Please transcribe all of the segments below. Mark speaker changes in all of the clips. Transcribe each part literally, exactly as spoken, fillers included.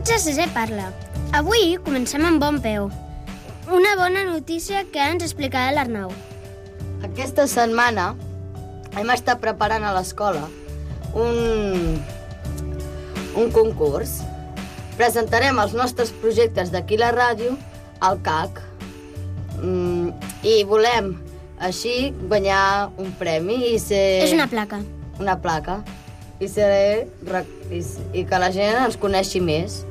Speaker 1: Benvinguts a Sisè Parla. Avui comencem amb bon peu. Una bona notícia que ens explicarà l'Arnau.
Speaker 2: Aquesta setmana hem estat preparant a l'escola un, un concurs. Presentarem els nostres projectes d'aquí a la ràdio al C A C mm, i volem així guanyar un premi i ser...
Speaker 1: És una placa.
Speaker 2: Una placa. I, ser, i, i que la gent ens coneixi més.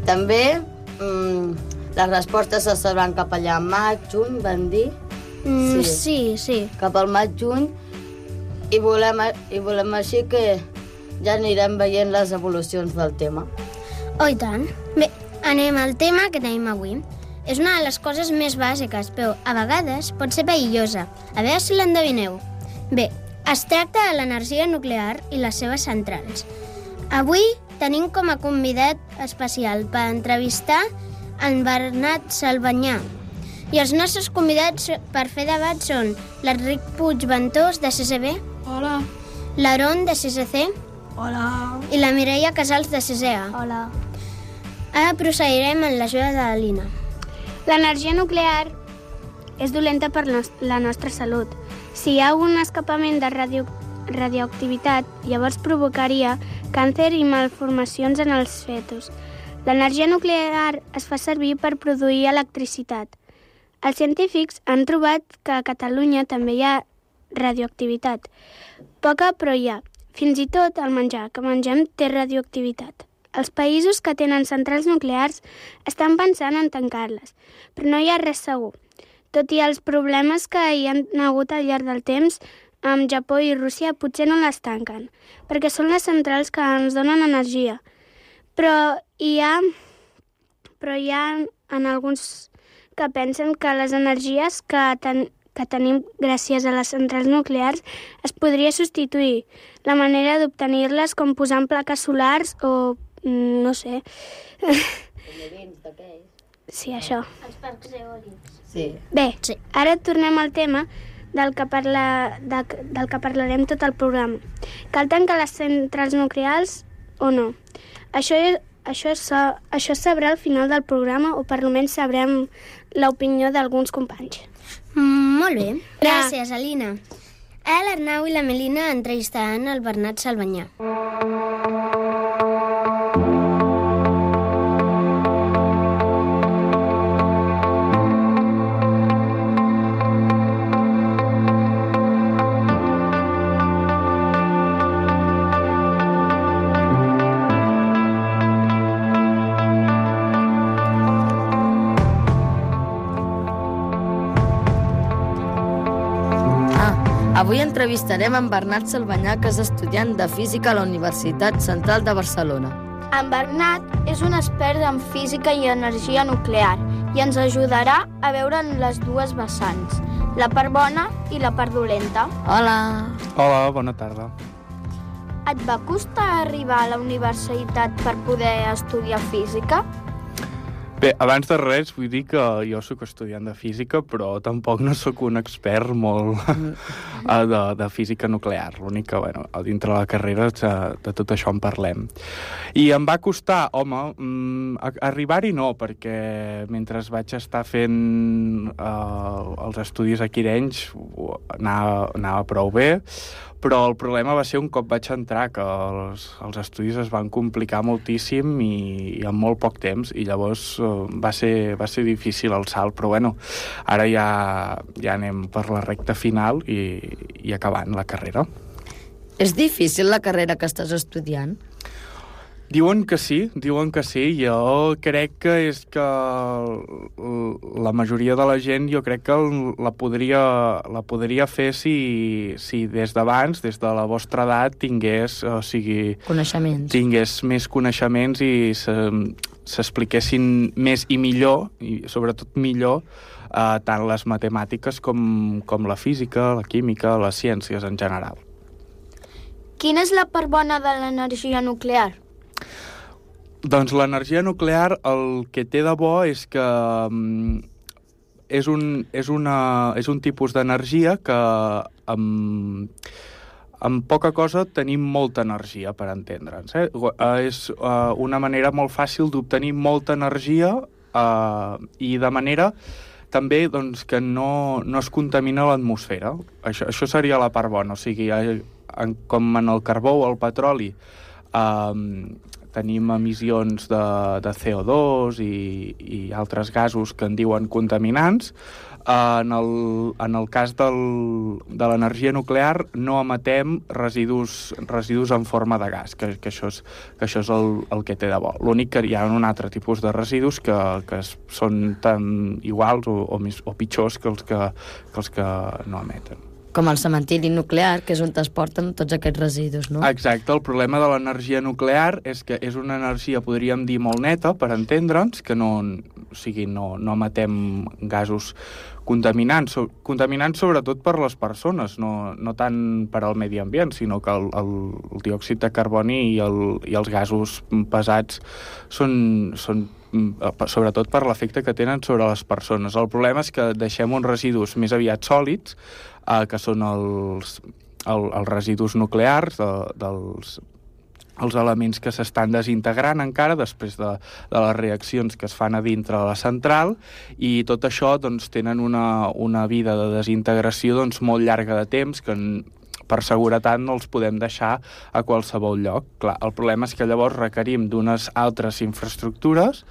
Speaker 2: També mm, les respostes se sabran cap allà al maig, juny, van dir?
Speaker 1: Mm, sí. sí, sí.
Speaker 2: Cap al maig, juny. I volem, I volem així que ja anirem veient les evolucions del tema.
Speaker 1: Oh, i tant. Bé, anem al tema que tenim avui. És una de les coses més bàsiques, però a vegades pot ser perillosa. A veure si l'endevineu. Bé, es tracta de l'energia nuclear i les seves centrals. Avui tenim com a convidat especial per entrevistar en Bernat Salvanyà. I els nostres convidats per fer debat són l'Enric Puigventós, de C C B.
Speaker 3: Hola.
Speaker 1: L'Aaron, de C C C.
Speaker 3: Hola.
Speaker 1: I la Mireia Casals, de C C A.
Speaker 3: Hola.
Speaker 1: Ara procedirem en l'ajuda de la Lina.
Speaker 4: L'energia nuclear és dolenta per la nostra salut. Si hi ha un escapament de radio, radioactivitat, llavors provocaria càncer i malformacions en els fetus. L'energia nuclear es fa servir per produir electricitat. Els científics han trobat que a Catalunya també hi ha radioactivitat. Poca, però hi ha. Fins i tot el menjar que mengem té radioactivitat. Els països que tenen centrals nuclears estan pensant en tancar-les, però no hi ha res segur. Tot i els problemes que hi ha hagut al llarg del temps, amb Japó i Rússia potser no les tanquen, perquè són les centrals que ens donen energia. Però hi ha, però hi ha en alguns que pensen que les energies que, ten, que tenim gràcies a les centrals nuclears es podria substituir. La manera d'obtenir-les com posant plaques solars o, no sé... Sí, això.
Speaker 1: Els parcs eòlics.
Speaker 2: Sí.
Speaker 4: Bé, sí. Ara tornem al tema del que, parla, de, del que parlarem tot el programa. Cal tancar les centrals nuclears o no? Això, és, això, és, això es sabrà al final del programa o per almenys sabrem l'opinió d'alguns companys.
Speaker 1: Mm, molt bé. Gràcies, Alina. Ara l'Arnau i la Melina entrevistaran el Bernat Salvanyà.
Speaker 2: Avui entrevistarem en Bernat Salvanyà, que és estudiant de Física a la Universitat Central de Barcelona.
Speaker 4: En Bernat és un expert en física i energia nuclear i ens ajudarà a veure les dues vessants, la part bona i la part dolenta.
Speaker 2: Hola!
Speaker 5: Hola, bona tarda.
Speaker 4: Et va costar arribar a la universitat per poder estudiar física?
Speaker 5: Bé, abans de res vull dir que jo sóc estudiant de física, però tampoc no sóc un expert molt de, de física nuclear. L'únic que, bueno, dintre la carrera de, de tot això en parlem. I em va costar, home, arribar-hi no, perquè mentre vaig estar fent eh, els estudis aquí d'Arenys anava, anava prou bé, però el problema va ser un cop vaig entrar, que els, els estudis es van complicar moltíssim i, i en molt poc temps, i llavors uh, va, ser, va ser difícil el salt, però bueno, ara ja, ja anem per la recta final i, i acabant la carrera.
Speaker 2: És difícil la carrera que estàs estudiant?
Speaker 5: Diuen que sí, diuen que sí. Jo crec que és que la majoria de la gent jo crec que la podria, la podria fer si, si des d'abans, des de la vostra edat, tingués, o sigui...
Speaker 2: Coneixements.
Speaker 5: Tingués més coneixements i s'expliquessin més i millor, i sobretot millor, eh, tant les matemàtiques com, com la física, la química, les ciències en general.
Speaker 4: Quina és la part bona de l'energia nuclear?
Speaker 5: Doncs l'energia nuclear el que té de bo és que um, és, un, és, una, és un tipus d'energia que um, amb poca cosa tenim molta energia, per entendre'ns. Eh? És uh, una manera molt fàcil d'obtenir molta energia uh, i de manera també doncs, que no, no es contamina l'atmosfera. Això, això seria la part bona. O sigui, en, com en el carbó o el petroli uh, tenim emissions de, de C O dos i, i altres gasos que en diuen contaminants. En el, en el cas del, de l'energia nuclear no emetem residus, residus en forma de gas, que, que això és, que això és el, el que té de bo. L'únic que hi ha un altre tipus de residus que, que són tan iguals o, o, més, o pitjors que els que, que els que no emeten.
Speaker 2: Com el cementiri nuclear, que és on es porten tots aquests residus, no?
Speaker 5: Exacte, el problema de l'energia nuclear és que és una energia, podríem dir, molt neta, per entendre'ns, que no, o sigui, no, no emetem gasos contaminants, contaminants sobretot per les persones, no, no tant per al medi ambient, sinó que el, el, el diòxid de carboni i, el, i els gasos pesats són, són sobretot per l'efecte que tenen sobre les persones. El problema és que deixem uns residus més aviat sòlids, eh, que són els, el, els residus nuclears, de, dels els elements que s'estan desintegrant encara després de, de les reaccions que es fan a dintre de la central, i tot això doncs, tenen una, una vida de desintegració doncs, molt llarga de temps, que per seguretat no els podem deixar a qualsevol lloc. Clar, el problema és que llavors requerim d'unes altres infraestructures,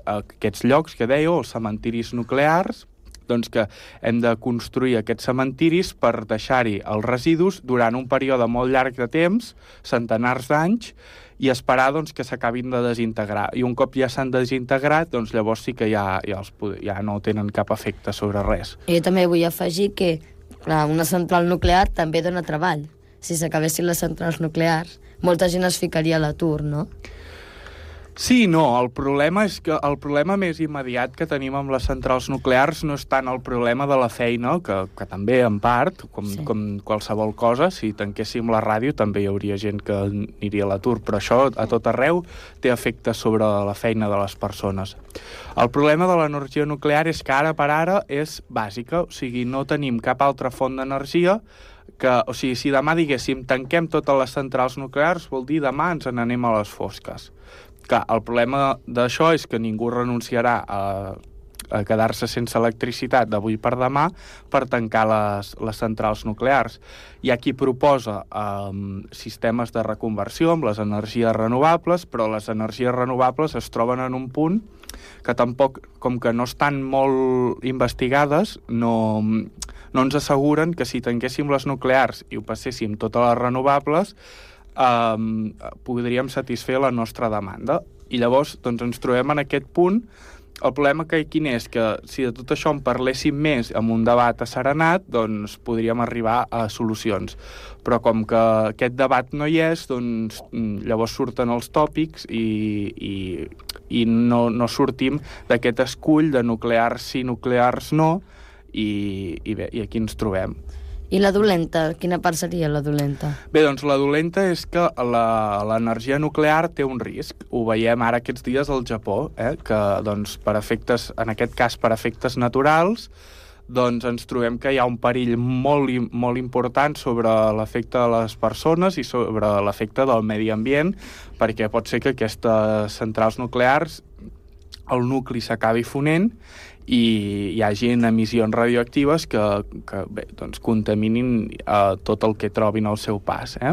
Speaker 5: aquests llocs que dèieu, els cementiris nuclears, doncs que hem de construir aquests cementiris per deixar-hi els residus durant un període molt llarg de temps, centenars d'anys, i esperar doncs, que s'acabin de desintegrar. I un cop ja s'han desintegrat, doncs llavors sí que ja, ja, els, ja no tenen cap efecte sobre res.
Speaker 2: I jo també vull afegir que clar, una central nuclear també dona treball. Si s'acabessin les centrals nuclears, molta gent es ficaria a l'atur, no?
Speaker 5: Sí, no, el problema és que el problema més immediat que tenim amb les centrals nuclears no és tant el problema de la feina, que, que també en part, com, sí. com qualsevol cosa, si tanquéssim la ràdio també hi hauria gent que aniria a l'atur, però això a tot arreu té efectes sobre la feina de les persones. El problema de l'energia nuclear és que ara per ara és bàsica, o sigui, no tenim cap altra font d'energia que, o sigui, si demà diguéssim tanquem totes les centrals nuclears, vol dir demà ens n'anem a les fosques. Clar, el problema d'això és que ningú renunciarà a, a quedar-se sense electricitat d'avui per demà per tancar les, les centrals nuclears. Hi ha qui proposa um, sistemes de reconversió amb les energies renovables, però les energies renovables es troben en un punt que tampoc, com que no estan molt investigades, no, no ens asseguren que si tanquéssim les nuclears i ho passéssim totes les renovables, Um, podríem satisfer la nostra demanda. I llavors doncs, ens trobem en aquest punt. El problema que quin és? Que si de tot això en parléssim més amb un debat asserenat, doncs podríem arribar a solucions. Però com que aquest debat no hi és, doncs llavors surten els tòpics i, i, i no, no sortim d'aquest escull de nuclears sí, nuclears no, i, i, bé, i aquí ens trobem.
Speaker 2: I la dolenta? Quina part seria la dolenta?
Speaker 5: Bé, doncs la dolenta és que l'energia nuclear té un risc. Ho veiem ara aquests dies al Japó, eh? que doncs, per efectes, en aquest cas per efectes naturals, doncs ens trobem que hi ha un perill molt, molt important sobre l'efecte de les persones i sobre l'efecte del medi ambient, perquè pot ser que aquestes centrals nuclears, el nucli s'acabi fonent i hi hagi emissions radioactives que, que bé, doncs contaminin eh, tot el que trobin al seu pas, eh?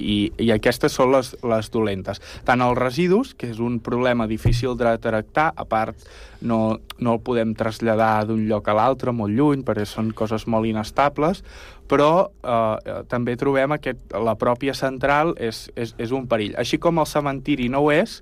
Speaker 5: I, i aquestes són les, les dolentes. Tant els residus, que és un problema difícil de tractar, a part no, no el podem traslladar d'un lloc a l'altre, molt lluny, perquè són coses molt inestables, però eh, també trobem que la pròpia central és, és, és un perill. Així com el cementiri no ho és,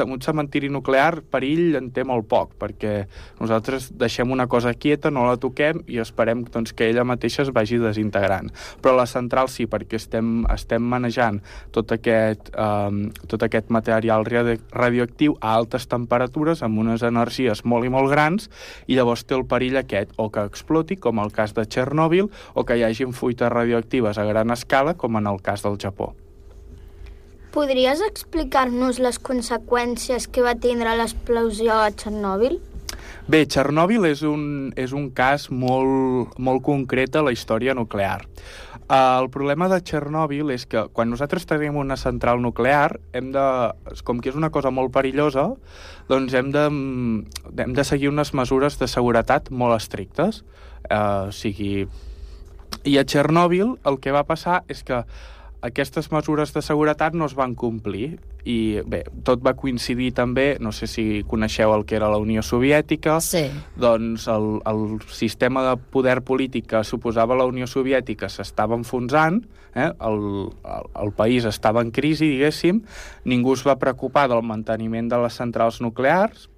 Speaker 5: un cementiri nuclear perill en té molt poc, perquè nosaltres deixem una cosa quieta, no la toquem i esperem doncs, que ella mateixa es vagi desintegrant. Però la central sí, perquè estem, estem manejant tot aquest, eh, tot aquest material radioactiu a altes temperatures, amb unes energies molt i molt grans, i llavors té el perill aquest, o que exploti, com el cas de Txernòbil, o que hi hagi fuites radioactives a gran escala, com en el cas del Japó.
Speaker 4: Podries explicar-nos les conseqüències que va tindre l'explosió a Txernòbil?
Speaker 5: Bé, Txernòbil és un, és un cas molt, molt concret a la història nuclear. Uh, el problema de Txernòbil és que quan nosaltres tenim una central nuclear, hem de, com que és una cosa molt perillosa, doncs hem de, hem de seguir unes mesures de seguretat molt estrictes. Uh, o sigui... I a Txernòbil el que va passar és que aquestes mesures de seguretat no es van complir i bé, tot va coincidir també, no sé si coneixeu el que era la Unió Soviètica,
Speaker 2: sí.
Speaker 5: Doncs el, el sistema de poder polític que suposava la Unió Soviètica s'estava enfonsant, eh? el, el, el país estava en crisi, diguéssim, ningú es va preocupar del manteniment de les centrals nuclears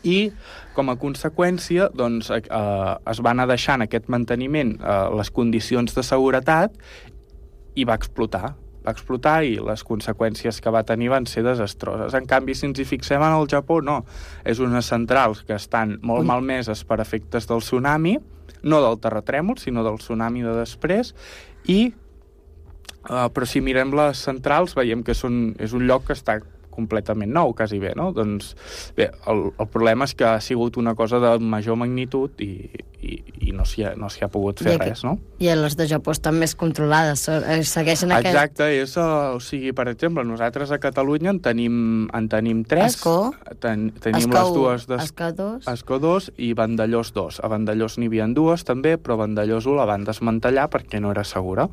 Speaker 5: i, com a conseqüència, doncs, eh, es va anar deixant aquest manteniment, eh, les condicions de seguretat, i va explotar. Va explotar i les conseqüències que va tenir van ser desastroses. En canvi, si ens hi fixem en el Japó, no. És unes centrals que estan molt malmeses per efectes del tsunami, no del terratrèmol, sinó del tsunami de després, i uh, però si mirem les centrals veiem que són, és un lloc que està completament nou, quasi bé, no? Doncs, bé, el, el problema és que ha sigut una cosa de major magnitud i, i, i no s'hi ha, no s'hi ha pogut fer I res, no?
Speaker 2: I les de Japó estan més controlades, segueixen aquest...
Speaker 5: Exacte, és, uh, o sigui, per exemple, nosaltres a Catalunya en tenim, en tenim tres.
Speaker 2: Escó,
Speaker 5: ten, tenim
Speaker 2: Escó
Speaker 5: les dues...
Speaker 2: Des... Escó dos.
Speaker 5: Escó dos i Vandellós dos. A Vandellós n'hi havia dues, també, però Vandellós u la van desmantellar perquè no era segura.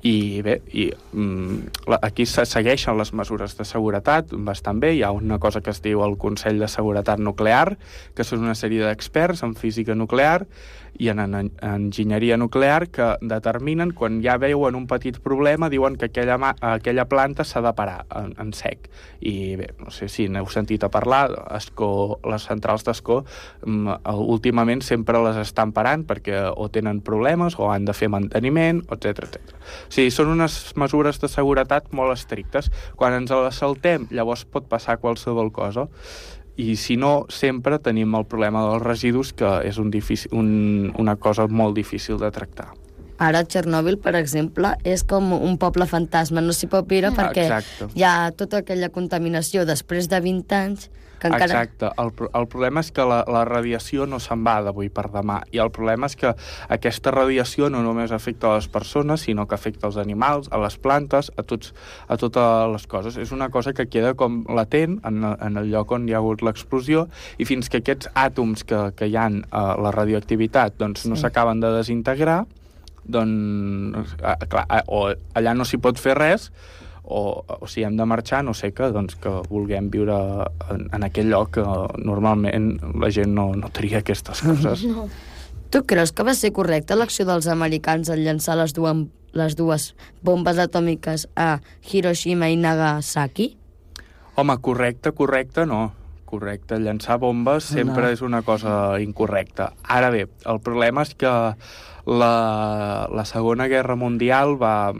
Speaker 5: I bé, i, mm, aquí se segueixen les mesures de seguretat bastant bé. Hi ha una cosa que es diu el Consell de Seguretat Nuclear, que són una sèrie d'experts en física nuclear i en, en, en enginyeria nuclear que determinen, quan ja veuen un petit problema, diuen que aquella, aquella planta s'ha de parar en, en sec. I bé, no sé si n'heu sentit a parlar, Escó, les centrals d'Escó últimament sempre les estan parant perquè o tenen problemes o han de fer manteniment, etcètera, etcètera. O sigui, són unes mesures de seguretat molt estrictes. Quan ens les saltem, llavors pot passar qualsevol cosa. I si no, sempre tenim el problema dels residus, que és un difícil, un, una cosa molt difícil de tractar.
Speaker 2: Ara, Txernòbil, per exemple, és com un poble fantasma. No s'hi pot viure perquè Exacte. Hi ha tota aquella contaminació després de vint anys que encara...
Speaker 5: Exacte. El, el problema és que la, la radiació no se'n va d'avui per demà. I el problema és que aquesta radiació no només afecta a les persones, sinó que afecta als animals, a les plantes, a, tots, a totes les coses. És una cosa que queda com latent en, en el lloc on hi ha hagut l'explosió, i fins que aquests àtoms que, que hi ha a la radioactivitat doncs, no s'acaben sí. de desintegrar, doncs, clar, o allà no s'hi pot fer res, o, o si hem de marxar, no sé, que, doncs, que vulguem viure en, en aquell lloc que normalment la gent no, no tria aquestes coses.
Speaker 2: No. Tu creus que va ser correcta l'acció dels americans en llançar les dues, les dues bombes atòmiques a Hiroshima i Nagasaki?
Speaker 5: Home, correcte, correcte, no. Correcte, llançar bombes sempre no. és una cosa incorrecta. Ara bé, el problema és que la, la Segona Guerra Mundial va,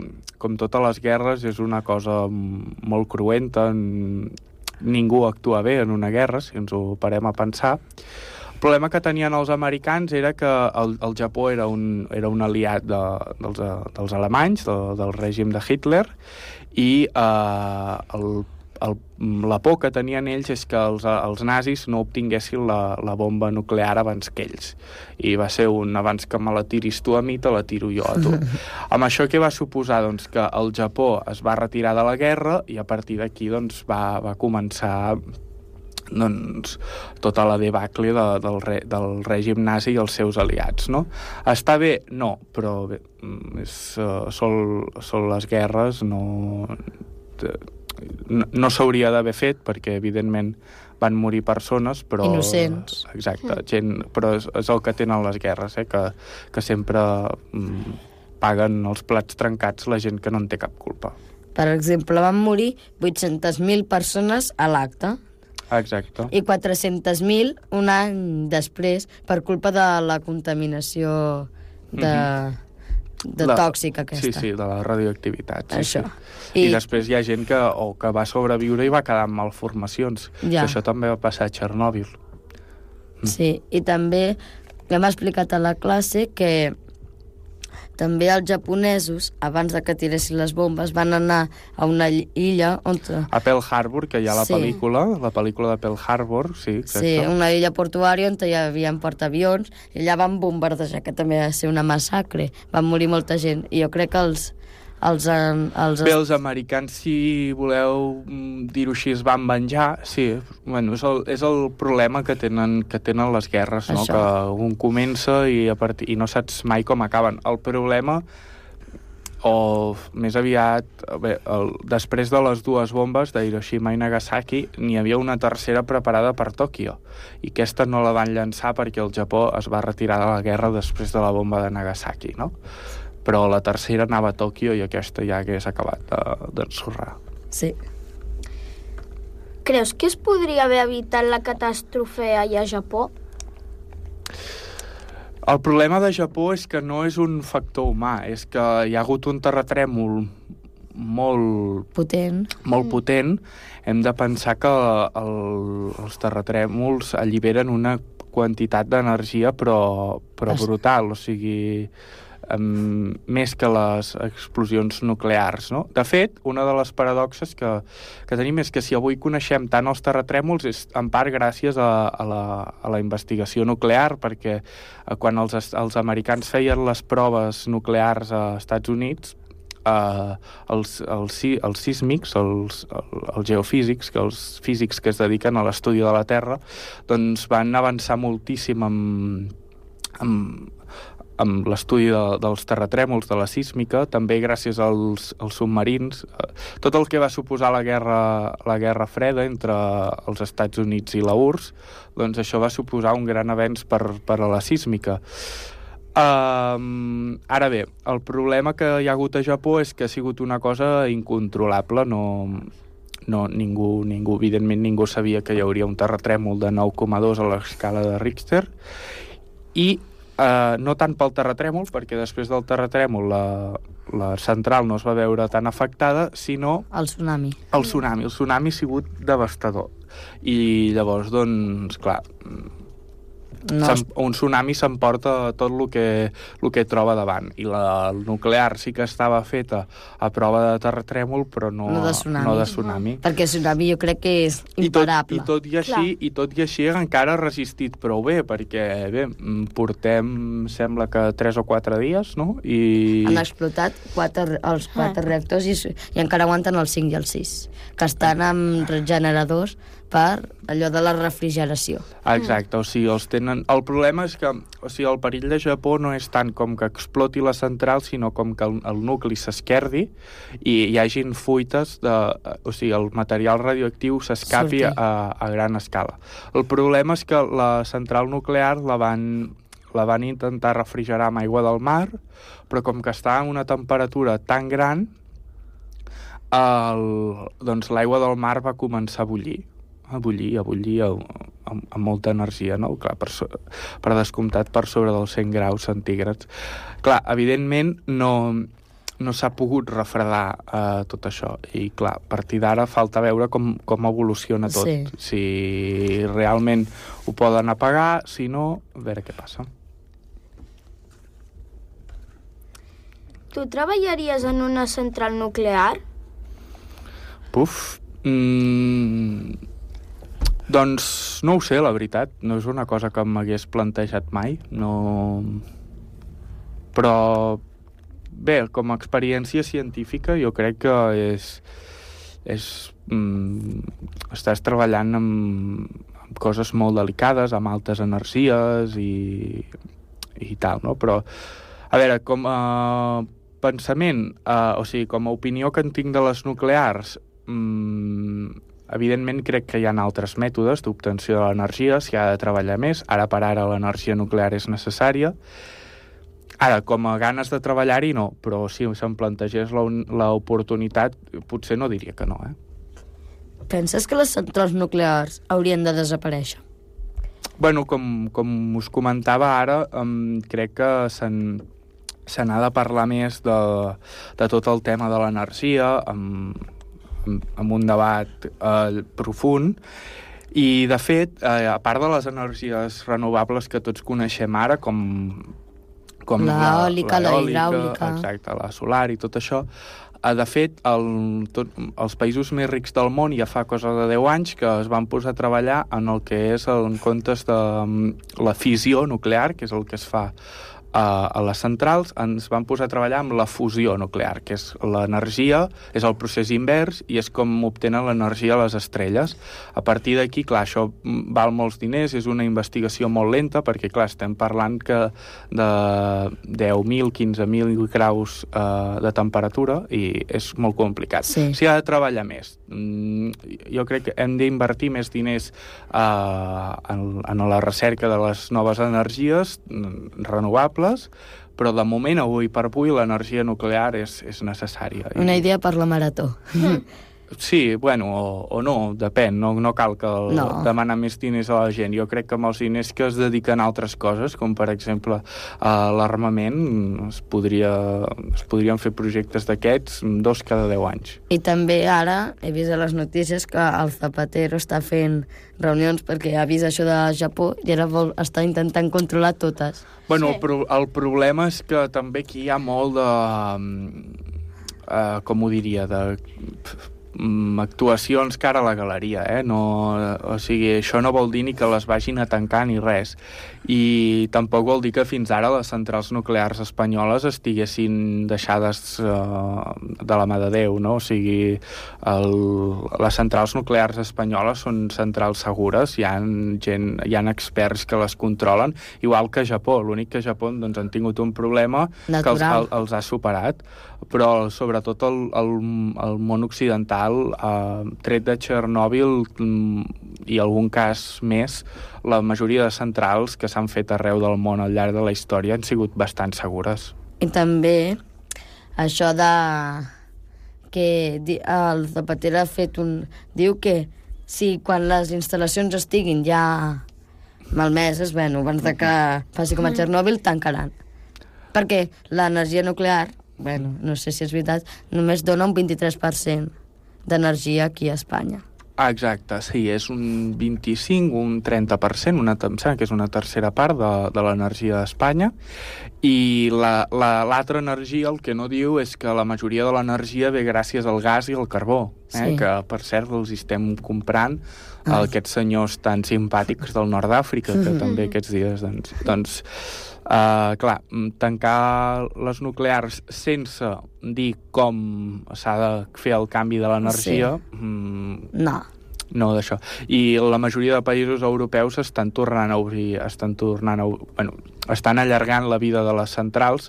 Speaker 5: com totes les guerres, és una cosa molt cruenta. Ningú actua bé en una guerra, si ens ho parem a pensar. El problema que tenien els americans era que el, el Japó era un, era un aliat de, dels, dels alemanys, de, del règim de Hitler, i eh, el El, la por que tenien ells és que els, els nazis no obtinguessin la, la bomba nuclear abans que ells. I va ser un abans que me la tiris tu a mi, te la tiro jo a tu. Amb això què va suposar? Doncs que el Japó es va retirar de la guerra i a partir d'aquí doncs, va, va començar doncs, tota la debacle de, del, re, del règim nazi i els seus aliats. No? Està bé? No, però bé, és, uh, són, són les guerres, no... no, no s'hauria d'haver fet perquè evidentment van morir persones, però...
Speaker 2: Innocents.
Speaker 5: Exacte, gent, però és, és el que tenen les guerres, eh? que, que sempre mm, paguen els plats trencats la gent que no en té cap culpa.
Speaker 2: Per exemple, van morir vuit-centes mil persones a l'acte.
Speaker 5: Exacte.
Speaker 2: I quatre-centes mil un any després per culpa de la contaminació de... Mm-hmm. de
Speaker 5: la,
Speaker 2: tòxica aquesta.
Speaker 5: Sí, sí, de la radioactivitat. Sí,
Speaker 2: això.
Speaker 5: Sí. I... I després hi ha gent que, o que va sobreviure i va quedar amb malformacions.
Speaker 2: Ja.
Speaker 5: Això també va passar a Txernòbil.
Speaker 2: Sí, i també hem explicat a la classe que també els japonesos, abans de que tiressin les bombes, van anar a una illa on...
Speaker 5: A Pearl Harbor, que hi ha la
Speaker 2: Sí.
Speaker 5: pel·lícula, la pel·lícula de Pearl Harbor, sí.
Speaker 2: Sí,
Speaker 5: exacte.
Speaker 2: una illa portuària on hi havia portaavions i allà van bombardejar, que també va ser una massacre. Van morir molta gent. I jo crec que els... els, els...
Speaker 5: Bé, els americans, si voleu mm, dir-ho així, es van venjar, sí. Bueno, és el, és el problema que tenen, que tenen les guerres, no?
Speaker 2: Això.
Speaker 5: Que un comença i, a partir, i no saps mai com acaben. El problema, o més aviat, bé, el, després de les dues bombes d'Hiroshima i Nagasaki, n'hi havia una tercera preparada per Tòquio. I aquesta no la van llançar perquè el Japó es va retirar de la guerra després de la bomba de Nagasaki, no? Però la tercera anava a Tòquio i aquesta ja hagués acabat d'ensorrar.
Speaker 2: Sí.
Speaker 3: Creus que es podria haver evitat la catàstrofe allà a Japó?
Speaker 5: El problema de Japó és que no és un factor humà, és que hi ha hagut un terratrèmol molt
Speaker 2: Potent.
Speaker 5: molt potent. Hem de pensar que el, els terratrèmols alliberen una quantitat d'energia però, però
Speaker 2: Es-
Speaker 5: brutal, o sigui, um, més que les explosions nuclears, no? De fet, una de les paradoxes que, que tenim és que si avui coneixem tant els terratrèmols és en part gràcies a, a, la, a la investigació nuclear, perquè eh, quan els, es- els americans feien les proves nuclears a Estats Units, Uh, els, els, si- els sísmics, els, el, els geofísics, que els físics que es dediquen a l'estudi de la Terra, doncs van avançar moltíssim amb, amb, amb l'estudi de, dels terratrèmols, de la sísmica, també gràcies als, als submarins. Uh, tot el que va suposar la guerra, la guerra freda entre els Estats Units i la U R S, doncs això va suposar un gran avenç per, per a la sísmica. Um, ara bé, el problema que hi ha hagut a Japó és que ha sigut una cosa incontrolable, no, no, ningú, ningú, evidentment ningú sabia que hi hauria un terratrèmol de nou coma dos a l'escala de Richter, i uh, no tant pel terratrèmol, perquè després del terratrèmol la, la central no es va veure tan afectada, sinó
Speaker 2: El tsunami.
Speaker 5: el tsunami. El tsunami ha sigut devastador. I llavors, doncs, clar,
Speaker 2: No,
Speaker 5: S'em- un tsunami s'emporta tot el que, el que troba davant, i la el nuclear sí que estava feta a prova de terratrèmol, però no,
Speaker 2: No de tsunami.
Speaker 5: no de tsunami.
Speaker 2: perquè el tsunami jo crec que és
Speaker 5: I tot,
Speaker 2: imparable.
Speaker 5: i, tot i, així,
Speaker 3: Clar.
Speaker 5: I tot i així encara ha resistit prou bé, perquè bé, mm, portem, sembla que tres o quatre dies, no? I...
Speaker 2: Han explotat quatre, els quatre reactors i, i encara aguanten el cinc i el sis, que estan amb generadors per allò de la refrigeració.
Speaker 5: Exacte, o sigui, els tenen... El problema és que, o sigui, el perill de Japó no és tant com que exploti la central, sinó com que el, el nucli s'esquerdi i hi hagin fuites de... O sigui, el material radioactiu s'escapi a,
Speaker 2: Surti.
Speaker 5: a gran escala. El problema és que la central nuclear la van, la van intentar refrigerar amb aigua del mar, però com que està a una temperatura tan gran, el, doncs l'aigua del mar va començar a bullir. a bullir, a bullir amb, amb, amb molta energia, no? Clar, per, so, per descomptat per sobre dels cent graus centígrads. Clar, evidentment no, no s'ha pogut refredar eh, tot això, i clar, a partir d'ara falta veure com, com evoluciona tot.
Speaker 2: Sí.
Speaker 5: Si realment ho poden apagar, si no, a veure què passa.
Speaker 3: Tu treballaries en una central nuclear?
Speaker 5: Puf, mm, doncs no ho sé, la veritat. No és una cosa que m'hagués plantejat mai. No... Però bé, com a experiència científica jo crec que és... és mm, estàs treballant amb, amb coses molt delicades, amb altes energies i, i tal, no? Però, a veure, com a pensament, eh, o sigui, com a opinió que en tinc de les nuclears, mm, evidentment crec que hi ha altres mètodes d'obtenció de l'energia, s'hi ha de treballar més. Ara per ara l'energia nuclear és necessària. Ara, com a ganes de treballar-hi, no, però si se'm plantegés l'oportunitat, potser no diria que no, eh?
Speaker 2: Penses que les centrals nuclears haurien de desaparèixer?
Speaker 5: Bueno, com, com us comentava ara, um, crec que se'n se n'ha de parlar més de, de tot el tema de l'energia, amb, amb, amb un debat eh, profund. I, de fet, eh, a part de les energies renovables que tots coneixem ara, com, com
Speaker 2: l'eòlica, la,
Speaker 5: la
Speaker 2: hidràulica...
Speaker 5: Exacte, la solar i tot això. De fet, el, tot, els països més rics del món ja fa cosa de deu anys que es van posar a treballar en el que és, en comptes de la fissió nuclear, que és el que es fa a, a les centrals, ens van posar a treballar amb la fusió nuclear, que és l'energia, és el procés invers i és com obtenen l'energia a les estrelles. A partir d'aquí, clar, això val molts diners, és una investigació molt lenta, perquè, clar, estem parlant que de deu mil, quinze mil graus eh, de temperatura i és molt complicat.
Speaker 2: Sí.
Speaker 5: S'hi ha de treballar més. Jo crec que hem d'invertir més diners eh, en, en la recerca de les noves energies renovables, però de moment, avui per avui, l'energia nuclear és, és necessària.
Speaker 2: Una idea per la marató.
Speaker 5: Sí, bueno, o, o no, depèn, no, no cal que el,
Speaker 2: no.
Speaker 5: demanar més diners a la gent. Jo crec que amb els diners que es dediquen a altres coses, com per exemple a l'armament, es, podria, es podrien fer projectes d'aquests dos cada deu anys.
Speaker 2: I també ara he vist a les notícies que el Zapatero està fent reunions perquè ha vist això de Japó i ara vol estar intentant controlar totes.
Speaker 5: Bueno,
Speaker 1: Sí.
Speaker 5: el, pro, el problema és que també aquí hi ha molt de... Uh, com ho diria, de... actuacions cara a la galeria, eh? No, o sigui, això no vol dir ni que les vagin a tancar ni res. I tampoc vol dir que fins ara les centrals nuclears espanyoles estiguessin deixades eh, de la mà de Déu, no? O sigui, el, les centrals nuclears espanyoles són centrals segures, hi ha, gent, hi ha experts que les controlen, igual que a Japó. L'únic que a Japó doncs, han tingut un problema
Speaker 2: natural,
Speaker 5: que els, el, els ha superat, però sobretot el, el, el món occidental, eh, tret de Txernòbil i algun cas més, la majoria de centrals que s'han fet arreu del món al llarg de la història han sigut bastant segures.
Speaker 2: I també això de que el Zapatero ha fet un... Diu que si quan les instal·lacions estiguin ja malmeses, bueno, abans de que faci com a Txernòbil, tancaran. Perquè l'energia nuclear, bueno, no sé si és veritat, només dona un vint-i-tres per cent d'energia aquí a Espanya.
Speaker 5: Ah, exacte, sí, és un vint-i-cinc, un trenta per cent, una, em sembla que és una tercera part de, de l'energia d'Espanya, i la, la, l'altra energia, el que no diu és que la majoria de l'energia ve gràcies al gas i al carbó, eh?
Speaker 2: Sí.
Speaker 5: Que, per cert, els estem comprant
Speaker 2: Ah.
Speaker 5: aquests senyors tan simpàtics del nord d'Àfrica, que també aquests dies, doncs... doncs uh, clar, tancar les nuclears sense dir com s'ha de fer el canvi de l'energia...
Speaker 2: Sí.
Speaker 5: Mm,
Speaker 2: No.
Speaker 5: no, d'això. I la majoria de països europeus estan tornant a obrir, estan tornant a, bueno, estan allargant la vida de les centrals.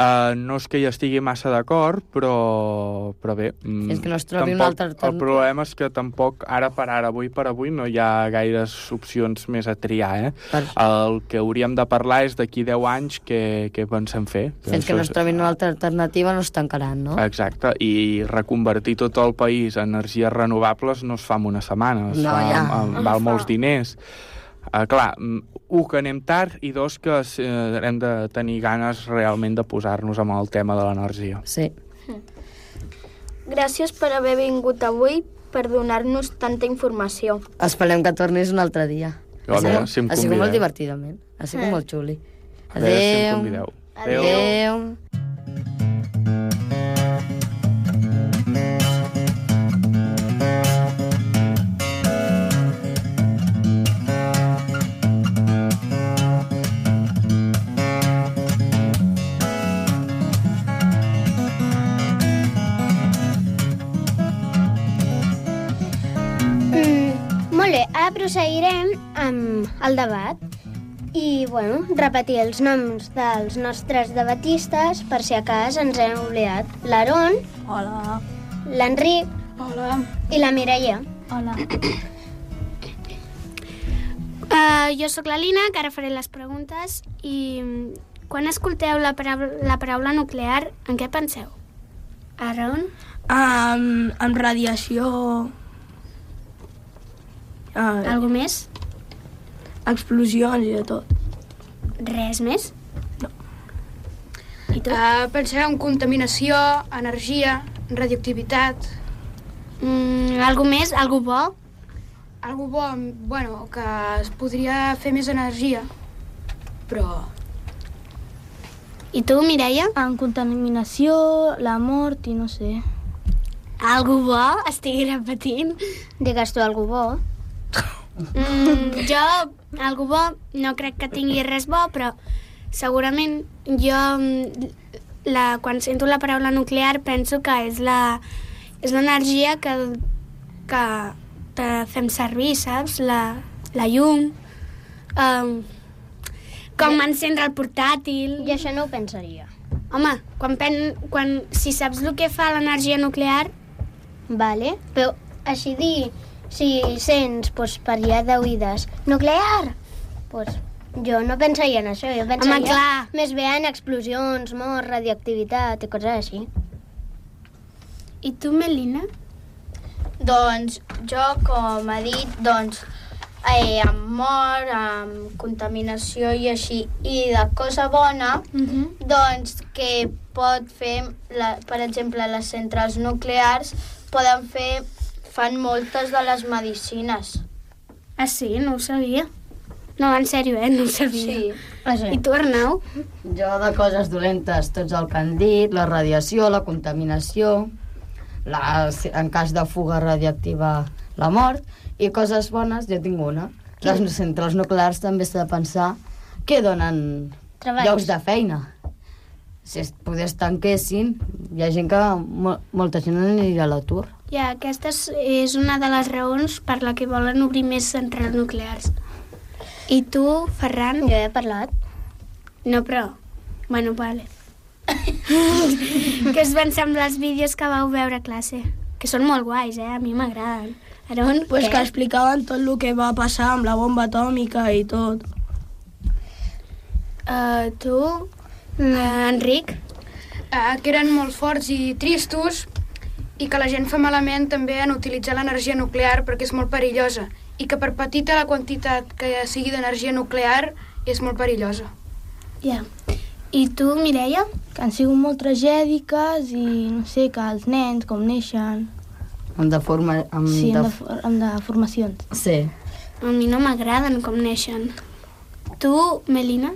Speaker 5: Uh, no és que hi estigui massa d'acord, però, però bé...
Speaker 2: És que no es trobi
Speaker 5: tampoc,
Speaker 2: una altra alternativa.
Speaker 5: El problema és que tampoc, ara per ara, avui per avui, no hi ha gaires opcions més a triar, eh?
Speaker 2: Per...
Speaker 5: El que hauríem de parlar és d'aquí deu anys què, què pensem fer.
Speaker 2: Fins que no es trobin una altra alternativa no es tancaran, no?
Speaker 5: Exacte, i reconvertir tot el país en energies renovables no es fa en una setmana, es
Speaker 2: No,
Speaker 5: fa,
Speaker 2: ja.
Speaker 5: amb, val molts diners. Uh, clar, un, que anem tard, i dos, que uh, hem de tenir ganes realment de posar-nos amb el tema de l'energia.
Speaker 2: Sí.
Speaker 3: Gràcies per haver vingut avui, per donar-nos tanta informació.
Speaker 2: Esperem que tornis un altre dia.
Speaker 5: Jo, a veure,
Speaker 2: sigut-
Speaker 5: si em
Speaker 2: ha sigut molt
Speaker 5: convideu.
Speaker 2: divertidament. Ha sigut molt xuli.
Speaker 5: A veure si em
Speaker 2: Adéu.
Speaker 5: convideu.
Speaker 2: Adéu.
Speaker 1: Mm, molt bé, ara proseguirem amb el debat. I, bueno, repetir els noms dels nostres debatistes per si a cas ens hem oblidat. L'Aaron,
Speaker 3: Hola.
Speaker 1: l'Enric
Speaker 3: Hola.
Speaker 1: i la Mireia.
Speaker 3: Hola.
Speaker 4: Uh, jo sóc la Lina, que ara faré les preguntes, i mm, quan escolteu la paraula, la paraula nuclear, en què penseu? Aaron?
Speaker 3: Um, amb radiació... Uh,
Speaker 4: Algú més?
Speaker 3: explosions i de tot.
Speaker 4: Res més?
Speaker 3: No.
Speaker 4: I tu?
Speaker 6: Uh, pensem en contaminació, energia, radioactivitat.
Speaker 4: Mm, algú més? Algú bo?
Speaker 6: Algo bo, bueno, que es podria fer més energia, però
Speaker 4: I tu, Mireia?
Speaker 3: En contaminació, la mort i no sé.
Speaker 4: Algú bo? Estigui repetint.
Speaker 1: Digues tu algú bo.
Speaker 4: Mm, jo, algú bo, no crec que tingui res bo, però segurament jo, la, quan sento la paraula nuclear, penso que és la és l'energia que, que, que fem servir, saps? La, la llum, um, com ja. Encendre el portàtil...
Speaker 1: I això no ho pensaria.
Speaker 4: Home, quan pen, quan, si saps el que fa l'energia nuclear...
Speaker 1: Vale, però així dir, si sents pues, per allà d'oïdes nuclear, pues, jo no pensaria en això, jo pensaria
Speaker 4: Home, clar.
Speaker 1: més bé en explosions, mort, radioactivitat i coses així.
Speaker 4: I tu, Melina?
Speaker 3: Doncs jo, com ha dit, doncs, eh, amb mort, amb contaminació i així, i de cosa bona,
Speaker 4: Uh-huh.
Speaker 3: doncs que pot fer, la, per exemple, les centrals nuclears poden fer, fan moltes de les medicines.
Speaker 4: Ah, sí? No ho sabia. No, en sèrio, eh? No ho sabia.
Speaker 3: Sí.
Speaker 1: Ah, sí.
Speaker 4: I tu, Arnau?
Speaker 2: Jo de coses dolentes, tots el que han dit, la radiació, la contaminació, la, en cas de fuga radiactiva, la mort, i coses bones, jo tinc una. Les centrals nuclears també s'ha de pensar que donen
Speaker 1: Treballs.
Speaker 2: llocs de feina. Si es poder tanquessin, hi ha gent que, mo, molta gent aniria a l'atur.
Speaker 4: Ja, aquesta és, és una de les raons per la que volen obrir més centrals nuclears. I tu, Ferran?
Speaker 1: Jo he parlat.
Speaker 4: No, però... Bueno, vale. Què us van semblar els vídeos que vau veure a classe? Que són molt guais, eh? A mi m'agraden. Aaron?
Speaker 7: Pues
Speaker 4: què?
Speaker 7: que explicaven tot el que va passar amb la bomba atòmica i tot.
Speaker 4: Uh, tu, uh, Enric?
Speaker 6: Uh, que eren molt forts i tristos i que la gent fa malament també en utilitzar l'energia nuclear perquè és molt perillosa i que per petita la quantitat que sigui d'energia nuclear és molt perillosa.
Speaker 4: Ja. I tu, Mireia?
Speaker 3: Que han sigut molt tragèdiques i no sé, que els nens com neixen...
Speaker 2: Amb deforma... Amb
Speaker 3: Sí,
Speaker 2: de...
Speaker 3: amb, de, amb deformacions.
Speaker 2: Sí.
Speaker 4: A mi no m'agraden com neixen. Tu, Melina?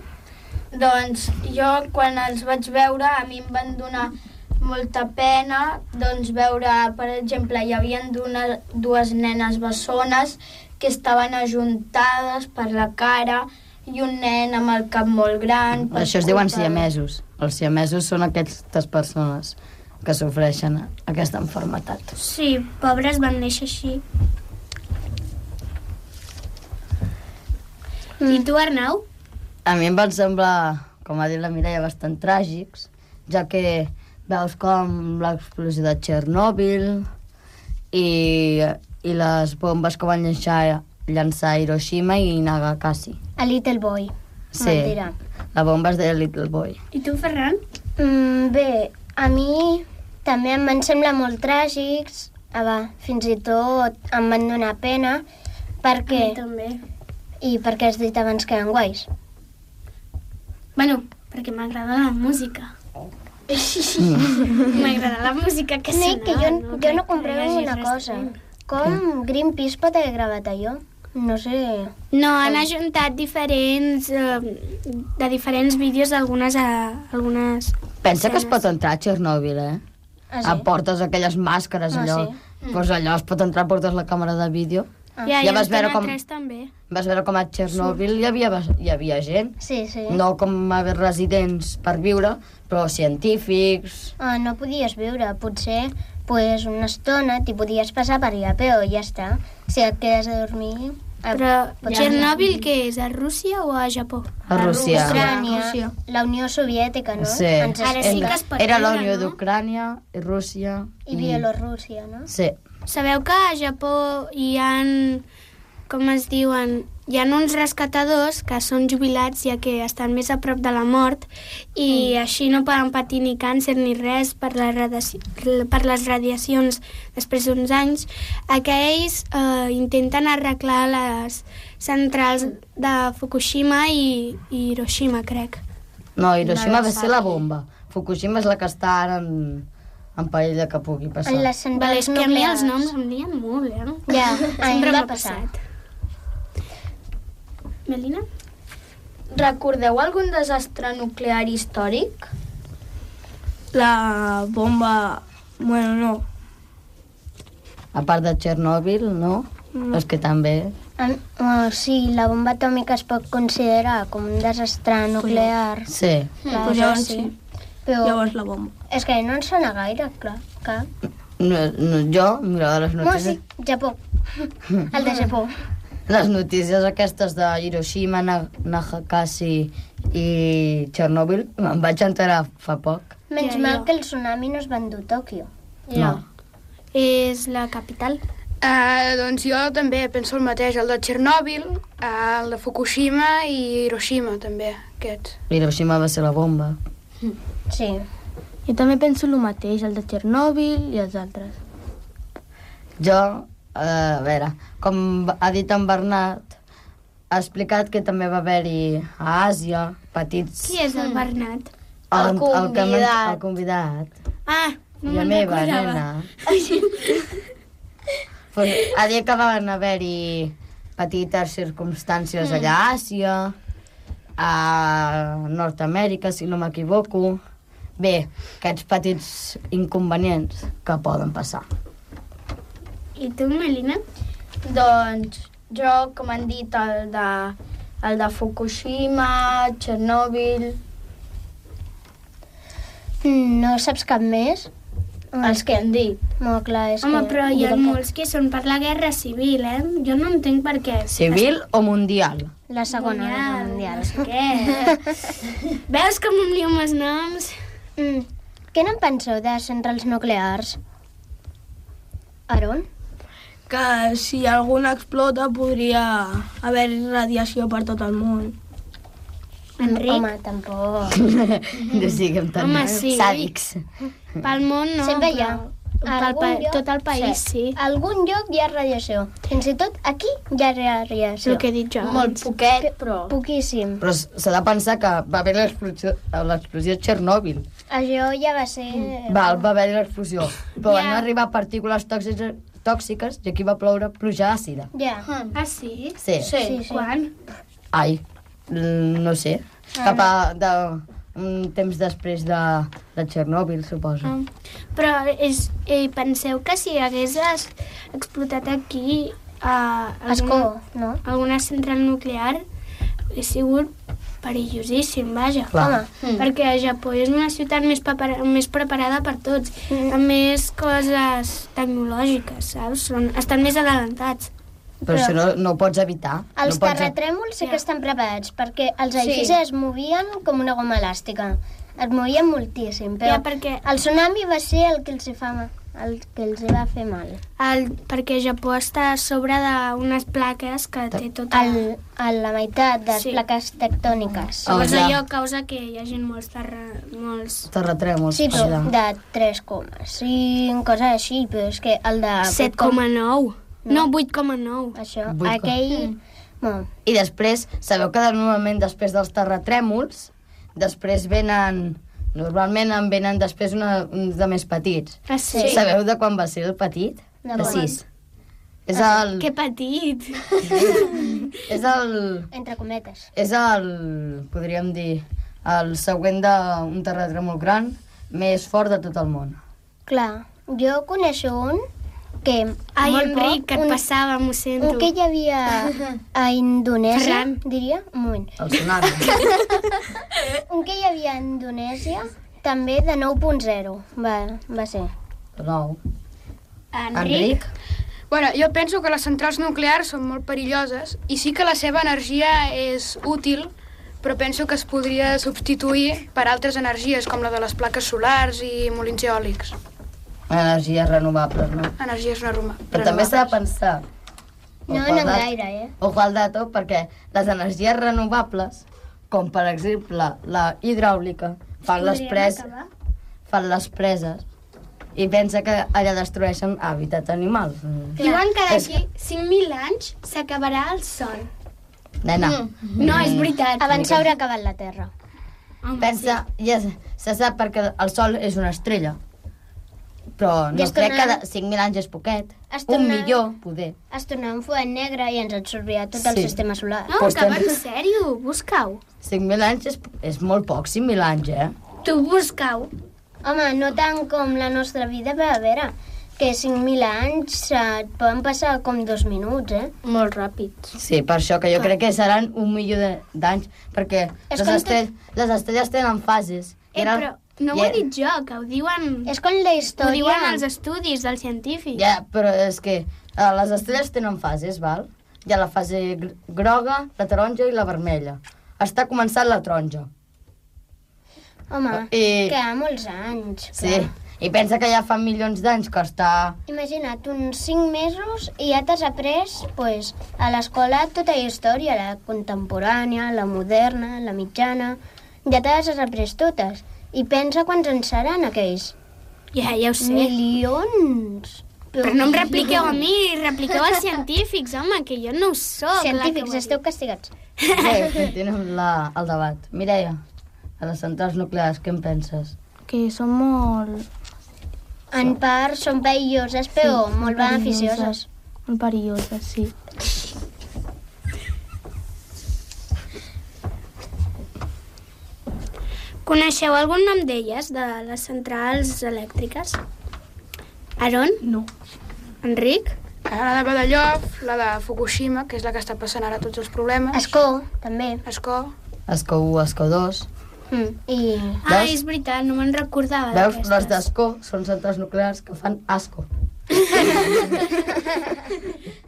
Speaker 3: Doncs jo, quan els vaig veure, a mi em van donar molta pena, doncs veure, per exemple, hi havia una, dues nenes bessones que estaven ajuntades per la cara i un nen amb el cap molt gran.
Speaker 2: Això es diuen siamesos. Els siamesos són aquestes persones que sofreixen aquesta malaltia.
Speaker 4: Sí, pobres van néixer així. Mm. I tu, Arnau?
Speaker 2: A mi em van semblar, com ha dit la Mireia, bastant tràgics, ja que veus com l'explosió de Txernòbil i, i les bombes que van llançar, llançar a Hiroshima i Nagasaki.
Speaker 1: A Little Boy.
Speaker 2: Sí,
Speaker 1: Mentira.
Speaker 2: la bomba és de Little Boy.
Speaker 4: I tu, Ferran?
Speaker 1: Mm, bé, a mi també em van semblar molt tràgics. Ah, va, fins i tot em van donar pena perquè...
Speaker 4: també.
Speaker 1: I perquè has dit abans que eren guais.
Speaker 4: Bueno, perquè m'agrada la música. M'agrada la música que
Speaker 1: Sí,
Speaker 4: sonava.
Speaker 1: que jo,
Speaker 4: no,
Speaker 1: jo no
Speaker 4: crec que
Speaker 1: comprego
Speaker 4: hi hagi
Speaker 1: una
Speaker 4: res
Speaker 1: cosa.
Speaker 4: dolent.
Speaker 1: Com Greenpeace pot haver gravat allò? No sé...
Speaker 4: No, han ajuntat diferents, eh, de diferents vídeos algunes... A, algunes
Speaker 2: Pensa que es
Speaker 4: escenes.
Speaker 2: pot entrar a Txernòbil, eh?
Speaker 1: Ah, sí?
Speaker 2: Ah, portes aquelles màscares,
Speaker 1: Ah,
Speaker 2: allò.
Speaker 1: sí?
Speaker 2: Pues allò es pot entrar, portes la càmera de vídeo.
Speaker 1: Ah.
Speaker 4: Ja,
Speaker 2: Ja
Speaker 4: i
Speaker 2: vas veure
Speaker 4: Antena
Speaker 2: com-
Speaker 4: tres també.
Speaker 2: Vas veure com a Txernòbil hi havia, hi havia gent.
Speaker 1: Sí, sí.
Speaker 2: No com a residents per viure, però científics...
Speaker 1: Ah, no podies viure. Potser pues, una estona t'hi podies passar per allà, però ja està. Si et quedes a dormir... ah,
Speaker 4: Però
Speaker 1: pots-
Speaker 4: Txernòbil què és, a Rússia o a Japó?
Speaker 2: A Rússia.
Speaker 1: Ucrània,
Speaker 7: Rússia.
Speaker 1: la Unió Soviètica, no?
Speaker 2: Sí.
Speaker 1: Ens
Speaker 4: Ara sí
Speaker 1: explica.
Speaker 4: que es pot
Speaker 2: Era la
Speaker 4: viure,
Speaker 2: Unió
Speaker 4: no?
Speaker 2: d'Ucrània i Rússia...
Speaker 1: I Bielorússia, no?
Speaker 2: Sí.
Speaker 4: Sabeu que a Japó hi han, com es diuen, hi ha uns rescatadors que són jubilats ja que estan més a prop de la mort i mm. així no poden patir ni càncer ni res per, la radiaci... per les radiacions després d'uns anys. Aquells eh, intenten arreglar les centrals de Fukushima i, i Hiroshima, crec.
Speaker 2: No, Hiroshima va ser la bomba. Fukushima és la que està ara en, en perill de que pugui passar.
Speaker 1: En les
Speaker 4: Vale,
Speaker 1: centrals
Speaker 4: és que a mi
Speaker 1: nuclears.
Speaker 4: els noms em lien molt, eh?
Speaker 1: Ja, a mi
Speaker 4: Sempre
Speaker 1: em va
Speaker 4: m'ha
Speaker 1: passar.
Speaker 4: passat. Melina?
Speaker 3: recordeu algun desastre nuclear històric?
Speaker 7: La bomba... Bueno, no.
Speaker 2: A part de Txernòbil, no? Mm. És que també...
Speaker 1: En, oh, sí, la bomba atòmica es pot considerar com un desastre nuclear.
Speaker 2: Sí.
Speaker 1: Clar,
Speaker 7: Pues
Speaker 1: això
Speaker 7: llavors
Speaker 1: sí.
Speaker 7: sí.
Speaker 1: Però
Speaker 7: Llavors la bomba.
Speaker 1: és que no ens sona gaire, clar. Cap.
Speaker 2: No, no, jo, mira, les
Speaker 1: No, sí,
Speaker 2: notícies...
Speaker 1: Japó. El de Japó.
Speaker 2: Les notícies aquestes de Hiroshima, Na- Nagasaki i Txernòbil em vaig enterar fa poc.
Speaker 1: Menys
Speaker 4: Ja,
Speaker 1: mal
Speaker 4: ja.
Speaker 1: que el tsunami no es va endur Tòquio.
Speaker 2: No.
Speaker 4: És la capital.
Speaker 6: Uh, doncs jo també penso el mateix, el de Txernòbil, uh, el de Fukushima i Hiroshima també, aquests.
Speaker 2: Hiroshima va ser la bomba.
Speaker 1: Sí.
Speaker 7: Jo també penso el mateix, el de Txernòbil i els altres.
Speaker 2: Jo, eh, a veure, com ha dit en Bernat, ha explicat que també va haver-hi a Àsia petits...
Speaker 4: Qui és el Bernat?
Speaker 3: El
Speaker 2: El,
Speaker 3: convidat.
Speaker 2: El, el convidat.
Speaker 4: Ah, no
Speaker 2: I la
Speaker 4: me'n
Speaker 2: meva
Speaker 4: recordava.
Speaker 2: nena. Pues, ha dit que van haver-hi petites circumstàncies allà a Àsia, a Nord-Amèrica, si no m'equivoco. Bé, aquests petits inconvenients que poden passar.
Speaker 4: I tu, Melina?
Speaker 3: Doncs jo, com han dit, el de, el de Fukushima, Txernòbil...
Speaker 1: No saps cap més?
Speaker 3: Els que han dit.
Speaker 1: No, clar, és
Speaker 4: Home,
Speaker 1: que...
Speaker 4: però hi ha
Speaker 1: directe.
Speaker 4: molts que són per la guerra civil, eh? Jo no entenc per què.
Speaker 2: Civil o mundial?
Speaker 1: La segona guerra mundial.
Speaker 4: No sé què. Veus com em lio amb els noms?
Speaker 1: Mm. Què n'en penseu de centrals nuclears? Aaron?
Speaker 7: Que si alguna explota podria haver radiació per tot el món.
Speaker 4: Enric?
Speaker 1: Home, tampoc.
Speaker 2: No siguem tan
Speaker 4: Home, sí.
Speaker 2: sàdics.
Speaker 4: Pel món no,
Speaker 1: Sempre hi ha.
Speaker 4: però pel
Speaker 1: Algun
Speaker 4: pa
Speaker 1: lloc-
Speaker 4: tot el país sí.
Speaker 1: Algun lloc hi ha radiació. Fins i tot aquí hi ha radiació.
Speaker 4: El que he dit jo.
Speaker 3: Molt poquet, però...
Speaker 1: Poquíssim.
Speaker 2: Però s'ha de pensar que va haver l'explosió l'explosió de Txernòbil.
Speaker 1: Això ja va ser...
Speaker 2: Val, va haver l'explosió. Però
Speaker 4: Ja.
Speaker 2: van arribar partícules tòxiques, tòxiques i aquí va ploure pluja àcida.
Speaker 1: Ja.
Speaker 4: Ah, sí?
Speaker 2: Sí.
Speaker 3: Sí.
Speaker 1: Sí, sí.
Speaker 4: Quan?
Speaker 2: Ai, mm, no sé. Cap a... De, un temps després de, de Txernòbil, suposo.
Speaker 4: Ah. Però és, eh, penseu que si hagués es- explotat aquí a
Speaker 1: Escó,
Speaker 4: alguna,
Speaker 1: no?
Speaker 4: alguna central nuclear, hauria sigut perillosíssim, vaja.
Speaker 2: Clar.
Speaker 1: Home,
Speaker 3: Mm.
Speaker 4: Perquè el Japó és una ciutat més, prepara més preparada per tots,
Speaker 1: Mm.
Speaker 4: amb més coses tecnològiques, saps? Són, estan més adelantats.
Speaker 2: Però,
Speaker 1: Però-
Speaker 2: això no, no ho pots evitar.
Speaker 1: els
Speaker 2: no pots...
Speaker 1: terratrèmols sí que
Speaker 4: Ja.
Speaker 1: estan preparats, perquè els
Speaker 3: Sí.
Speaker 1: edificis es movien com una goma elàstica. Es movien moltíssim, però
Speaker 4: Ja, perquè-
Speaker 1: el tsunami va ser el que els hi fa, el que els hi va fer mal.
Speaker 4: El, perquè Japó està a sobre d'unes plaques que té tota...
Speaker 1: El, a la meitat de les
Speaker 4: Sí.
Speaker 1: plaques tectòniques.
Speaker 2: Ah,
Speaker 4: Llavors
Speaker 2: ja.
Speaker 4: allò causa que hi hagi molts, terra... molts...
Speaker 2: Terratrèmols.
Speaker 1: Sí, però
Speaker 2: allà.
Speaker 1: de tres coma cinc, coses així, però és que el de...
Speaker 4: set coma nou. No, vuit coma nou.
Speaker 1: Això,
Speaker 2: Vuit coma-
Speaker 1: aquell... Bueno,
Speaker 2: I després, sabeu que normalment després dels terratrèmols, després venen... Normalment en venen després una, uns de més petits.
Speaker 4: Ah, sí?
Speaker 2: Sabeu de quan va ser el petit?
Speaker 1: De
Speaker 2: De
Speaker 1: quan?
Speaker 2: sis. És el...
Speaker 4: Que petit.
Speaker 2: És el...
Speaker 1: entre cometes.
Speaker 2: És el... Podríem dir... El següent d'un terratrèmol gran més fort de tot el món.
Speaker 1: Clar, jo coneixo un que...
Speaker 4: Ai,
Speaker 1: molt
Speaker 4: Enric,
Speaker 1: poc,
Speaker 4: que et
Speaker 1: un,
Speaker 4: passava, m'ho sento.
Speaker 1: un que hi havia a Indonèsia,
Speaker 4: Ferran.
Speaker 1: diria, un moment.
Speaker 2: El tsunami.
Speaker 1: Un que hi havia a Indonèsia, també de nou punt zero, va, va ser.
Speaker 2: Nou.
Speaker 4: Enric?
Speaker 2: Enric?
Speaker 6: Bueno, jo penso que les centrals nuclears són molt perilloses i sí que la seva energia és útil, però penso que es podria substituir per altres energies, com la de les plaques solars i molins eòlics.
Speaker 2: Energies renovables, no?
Speaker 6: Energies renovables.
Speaker 2: Però també s'ha de pensar...
Speaker 1: No
Speaker 2: ojo al
Speaker 1: anem
Speaker 2: dat-
Speaker 1: gaire, eh?
Speaker 2: Ojo al dato, perquè les energies renovables, com per exemple la hidràulica, fan les,
Speaker 4: Podríem
Speaker 2: pres...
Speaker 4: acabar?
Speaker 2: fan les preses i pensa que allà destrueixen hàbitat animals. Mm.
Speaker 4: Diuen que
Speaker 2: És-
Speaker 4: d'aquí cinc mil anys s'acabarà el sol.
Speaker 2: Nena,
Speaker 4: No, és veritat.
Speaker 1: Abans s'haurà acabat la Terra.
Speaker 4: Home,
Speaker 2: pensa, ja se se sap perquè el Sol és una estrella. però no
Speaker 1: I es
Speaker 2: crec que
Speaker 1: tornarà-
Speaker 2: de cinc mil anys és poquet.
Speaker 1: Es
Speaker 2: Un
Speaker 1: tornarà-
Speaker 2: millor, poder.
Speaker 1: Es tornava un forat negre i ens absorbia tot el
Speaker 2: Sí.
Speaker 1: sistema solar.
Speaker 4: No,
Speaker 2: Pues
Speaker 4: que va
Speaker 2: també-
Speaker 4: en sèrio, busca-ho.
Speaker 2: cinc mil anys és, és molt poc, cinc mil anys, eh?
Speaker 4: Tu busca-ho.
Speaker 1: Home, no tant com la nostra vida, però a veure, que cinc mil anys eh, et poden passar com dos minuts, eh?
Speaker 3: Molt ràpid.
Speaker 2: Sí, per això que jo crec que seran un milió de- d'anys, perquè
Speaker 1: És
Speaker 2: les,
Speaker 1: com
Speaker 2: estel les estrelles tenen fases.
Speaker 4: Eh,
Speaker 2: Era-
Speaker 4: però no
Speaker 2: i
Speaker 4: ho he
Speaker 2: era-
Speaker 4: dit jo, que ho diuen...
Speaker 1: És com la
Speaker 4: Ho
Speaker 1: història...
Speaker 4: diuen els estudis dels científics.
Speaker 2: Ja, però és que uh, les estrelles tenen fases, val? Hi ha la fase gr groga, la taronja i la vermella. Està començant la taronja.
Speaker 1: Home,
Speaker 2: I-
Speaker 1: que ha molts anys.
Speaker 2: Sí.
Speaker 1: clar.
Speaker 2: I pensa que ja fa milions d'anys que està...
Speaker 1: Imagina't, uns cinc mesos i ja t'has après pues, a l'escola tota la història, la contemporània, la moderna, la mitjana... Ja te les has après totes. I pensa quants en seran aquells.
Speaker 4: Ja, ja ho sé.
Speaker 1: Milions!
Speaker 4: Però no em repliqueu a mi, repliqueu als científics, home, que jo no ho soc.
Speaker 1: Científics, esteu castigats.
Speaker 2: Bé, continuem la, el debat. Mireia, a les centrals nuclears, què en penses?
Speaker 7: Que són molt...
Speaker 1: En part són perilloses, però
Speaker 7: Sí,
Speaker 1: molt beneficioses.
Speaker 7: Molt perilloses, sí.
Speaker 4: Coneixeu algun nom d'elles, de les centrals elèctriques? Aaron?
Speaker 7: No.
Speaker 4: Enric?
Speaker 6: La de Badallof, la de Fukushima, que és la que està passant ara tots els problemes.
Speaker 1: Escó, també.
Speaker 6: Escó.
Speaker 2: Escó u, escó dos.
Speaker 1: Mm. I...
Speaker 4: Ah,
Speaker 2: Veus?
Speaker 4: és veritat, no me'n recordava
Speaker 2: Veus? Les
Speaker 4: d'aquestes.
Speaker 2: d'escó són centrals nuclears que fan asco.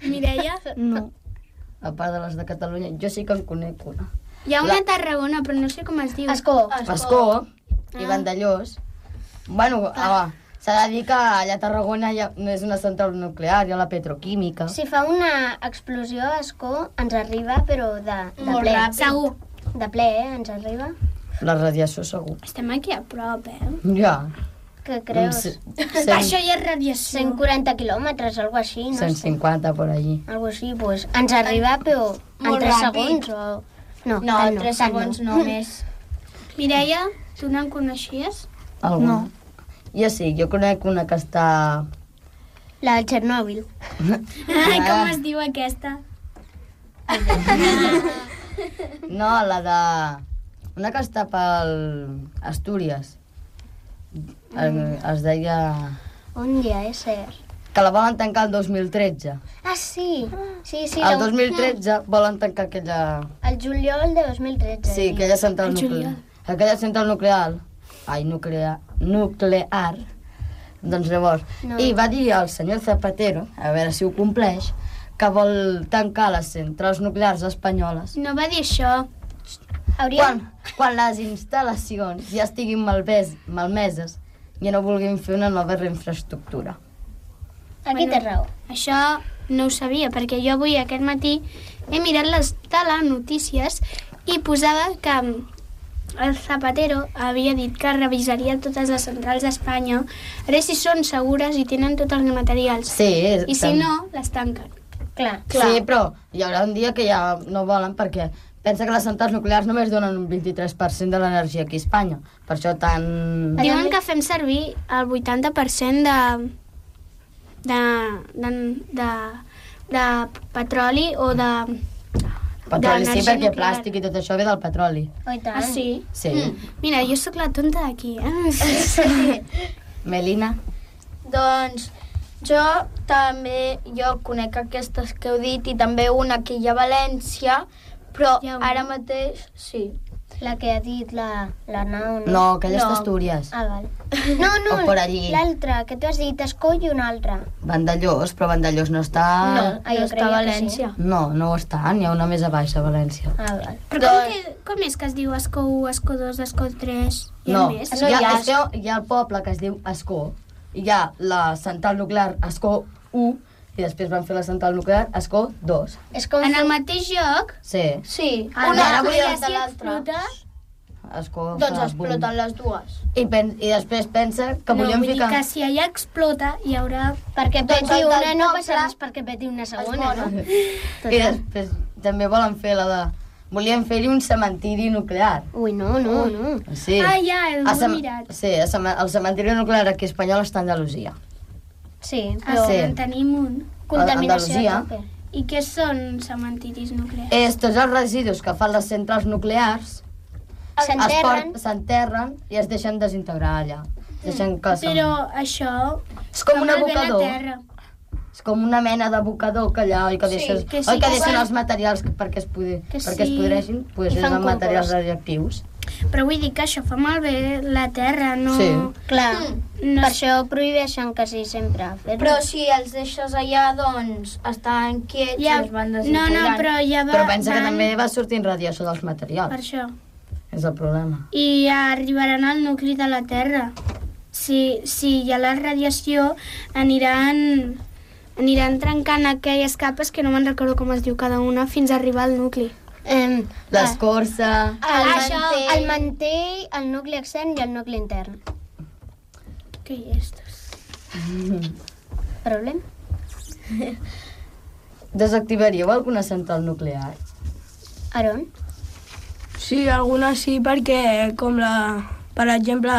Speaker 4: Mireia?
Speaker 7: No.
Speaker 2: A part de les de Catalunya, jo sí que en conec una.
Speaker 4: Hi ha una
Speaker 2: La-
Speaker 4: a Tarragona, però no sé com es diu.
Speaker 1: Escó.
Speaker 2: Escó i Vandellós. Bueno, home, s'ha de dir que allà a Tarragona ja no és una central nuclear, hi ha la petroquímica.
Speaker 1: Si fa una explosió a Escó, ens arriba, però de, de
Speaker 3: Molt
Speaker 1: ple.
Speaker 3: ràpid.
Speaker 4: Segur.
Speaker 1: De ple, eh? Ens arriba.
Speaker 2: La radiació segur.
Speaker 4: Estem aquí a prop, eh?
Speaker 2: Ja.
Speaker 1: Què creus?
Speaker 2: Ce-
Speaker 4: Això
Speaker 2: cent,
Speaker 4: ja és radiació.
Speaker 1: cent quaranta quilòmetres, algo així, no
Speaker 2: cent
Speaker 1: sé.
Speaker 2: cinquanta por allí.
Speaker 1: Algo així, pues, ens arriba, però en
Speaker 3: Molt
Speaker 1: tres
Speaker 3: ràpid.
Speaker 1: segons o... No,
Speaker 3: No,
Speaker 1: tant
Speaker 3: tres
Speaker 1: tant
Speaker 3: segons no més.
Speaker 4: Mireia, tu no en coneixies?
Speaker 2: Alguna?
Speaker 7: No.
Speaker 2: Jo sí, jo conec una que està...
Speaker 1: La de Txernòbil.
Speaker 4: Ai, com es diu aquesta?
Speaker 2: No, la de... Una que està pel Astúries. Mm. Es deia...
Speaker 1: Un dia, és cert.
Speaker 2: Que la volen tancar el dos mil tretze.
Speaker 1: Ah, sí. Sí, sí.
Speaker 2: El
Speaker 1: la-
Speaker 2: dos mil tretze volen tancar aquella...
Speaker 1: El juliol de dos mil tretze.
Speaker 2: Sí, aquella central
Speaker 4: El
Speaker 2: nuclear.
Speaker 4: juliol.
Speaker 2: Aquella central nuclear. Ai, nuclear. Nuclear. Doncs llavors...
Speaker 1: No.
Speaker 2: I va dir el senyor Zapatero, a veure si ho compleix, que vol tancar les centrals nuclears espanyoles
Speaker 4: No va dir això.
Speaker 1: Hauria...
Speaker 2: quan, quan les instal·lacions ja estiguin malves, malmeses i no vulguin fer una nova infraestructura.
Speaker 1: Aquí té raó.
Speaker 4: Això no ho sabia, perquè jo avui aquest matí he mirat les telenotícies i posava que el Zapatero havia dit que revisaria totes les centrals d'Espanya a veure si són segures i tenen tots els materials.
Speaker 2: Sí,
Speaker 4: I si
Speaker 2: tam-
Speaker 4: no, les tanquen.
Speaker 1: Clar.
Speaker 2: Sí, però hi haurà un dia que ja no volen perquè pensa que les centrals nuclears només donen un vint-i-tres per cent de l'energia aquí a Espanya. Per això tan...
Speaker 4: Diuen que fem servir el vuitanta per cent de, de, de, de, de petroli o de...
Speaker 2: Petroli sí,
Speaker 4: d'energia
Speaker 2: perquè
Speaker 4: nuclear.
Speaker 2: plàstic i tot això ve del petroli.
Speaker 1: Oh, i tant.
Speaker 4: Ah, sí?
Speaker 2: Sí.
Speaker 4: Mira, jo sóc la tonta d'aquí, eh?
Speaker 2: Melina?
Speaker 3: Doncs jo també, jo conec aquestes que heu dit i també una que hi ha a València, però
Speaker 4: Hi ha una?
Speaker 3: ara mateix, sí.
Speaker 1: La que ha dit la, la nau, no?
Speaker 2: No, aquella
Speaker 3: No.
Speaker 2: és d'Astúries.
Speaker 1: Ah, val. No, no,
Speaker 2: O por allí.
Speaker 1: l'altra, que tu has dit Escó i una altra.
Speaker 2: Vandellós, però Vandellós no està...
Speaker 1: No.
Speaker 3: Ah,
Speaker 1: jo
Speaker 3: no està
Speaker 1: creia
Speaker 3: a
Speaker 1: que
Speaker 3: València.
Speaker 2: No, no ho està, n'hi ha una més a baix a València.
Speaker 1: Ah, val.
Speaker 4: Però com, que, com és que es diu Escó u, Escó dos, Escó tres? Hi ha
Speaker 2: No,
Speaker 4: més?
Speaker 2: hi ha, és que hi ha el poble que es diu Escó, i hi ha la central nuclear Escó u, i després van fer la central nuclear Escó dos.
Speaker 1: És com...
Speaker 4: En el mateix lloc?
Speaker 2: Sí,
Speaker 3: Sí,
Speaker 1: Ah,
Speaker 3: una
Speaker 1: ara
Speaker 3: darrere
Speaker 4: I
Speaker 3: de
Speaker 4: si
Speaker 3: l'altra.
Speaker 4: explota?
Speaker 2: Escó...
Speaker 3: Doncs
Speaker 2: fa
Speaker 3: exploten
Speaker 2: boom.
Speaker 3: les dues.
Speaker 2: I, pen I després pensa que
Speaker 4: no,
Speaker 2: volíem
Speaker 4: vull
Speaker 2: ficar...
Speaker 4: dir que si allà explota hi haurà...
Speaker 1: Perquè
Speaker 3: Doncs
Speaker 1: peti
Speaker 3: el
Speaker 1: una
Speaker 3: del
Speaker 1: no
Speaker 3: poble
Speaker 1: passa res perquè peti una segona,
Speaker 3: es
Speaker 1: no?
Speaker 2: I després també volen fer la de volien fer-hi un cementiri nuclear.
Speaker 1: Ui, no, no, no.
Speaker 2: Sí.
Speaker 4: Ah, ja, el
Speaker 2: A
Speaker 4: he
Speaker 2: cem-
Speaker 4: mirat.
Speaker 2: Sí, a cem- el cementiri nuclear aquí espanyol està a Andalusia.
Speaker 1: Sí,
Speaker 4: Ah,
Speaker 1: però
Speaker 2: sí.
Speaker 4: en tenim un.
Speaker 1: contaminació
Speaker 2: Andalusia.
Speaker 1: a tope.
Speaker 4: I què són cementiris nuclears?
Speaker 2: És tots els residus que fan les centrals nuclears es
Speaker 1: S'enterren.
Speaker 2: port- s'enterren i es deixen desintegrar allà. Es deixen que se'n-
Speaker 4: Però això
Speaker 2: És com
Speaker 4: fa
Speaker 2: un
Speaker 4: malbé la
Speaker 2: abocador.
Speaker 4: terra.
Speaker 2: És com una mena d'abocador que allà oi que deixes,
Speaker 4: que sí,
Speaker 2: oi que
Speaker 4: que
Speaker 2: deixen
Speaker 4: sí.
Speaker 2: els materials que- perquè es, pudi,
Speaker 4: Que
Speaker 2: perquè es
Speaker 4: sí.
Speaker 2: podreixin, pues
Speaker 1: I
Speaker 2: és
Speaker 1: fan
Speaker 2: amb materials
Speaker 1: compost.
Speaker 2: radioactius.
Speaker 4: Però vull dir que això fa malbé la terra, no...
Speaker 2: Sí.
Speaker 1: Clar,
Speaker 4: No
Speaker 1: per
Speaker 4: és-
Speaker 1: això prohibeixen quasi sempre fer-ho.
Speaker 3: Però si els deixes allà, doncs, estan quiets
Speaker 4: Ja,
Speaker 3: i es van
Speaker 4: no,
Speaker 3: desintegrant.
Speaker 4: no, però ja va,
Speaker 2: Però pensa que
Speaker 4: van
Speaker 2: també va sortint radiació dels
Speaker 4: per
Speaker 2: materials.
Speaker 4: això.
Speaker 2: És el problema.
Speaker 4: I arribaran al nucli de la Terra. Si, si hi ha la radiació, aniran, aniran trencant aquelles capes, que no me'n recordo com es diu cada una, fins a arribar al nucli.
Speaker 1: Eh,
Speaker 2: L'escorça...
Speaker 1: el,
Speaker 3: Això-
Speaker 1: mantell, el mantell, el nucli extern i el nucli intern.
Speaker 4: Què hi és?
Speaker 1: Problema?
Speaker 2: Desactivaríeu alguna central nuclear?
Speaker 1: Aron?
Speaker 7: Sí, algunes sí, perquè com la... Per exemple,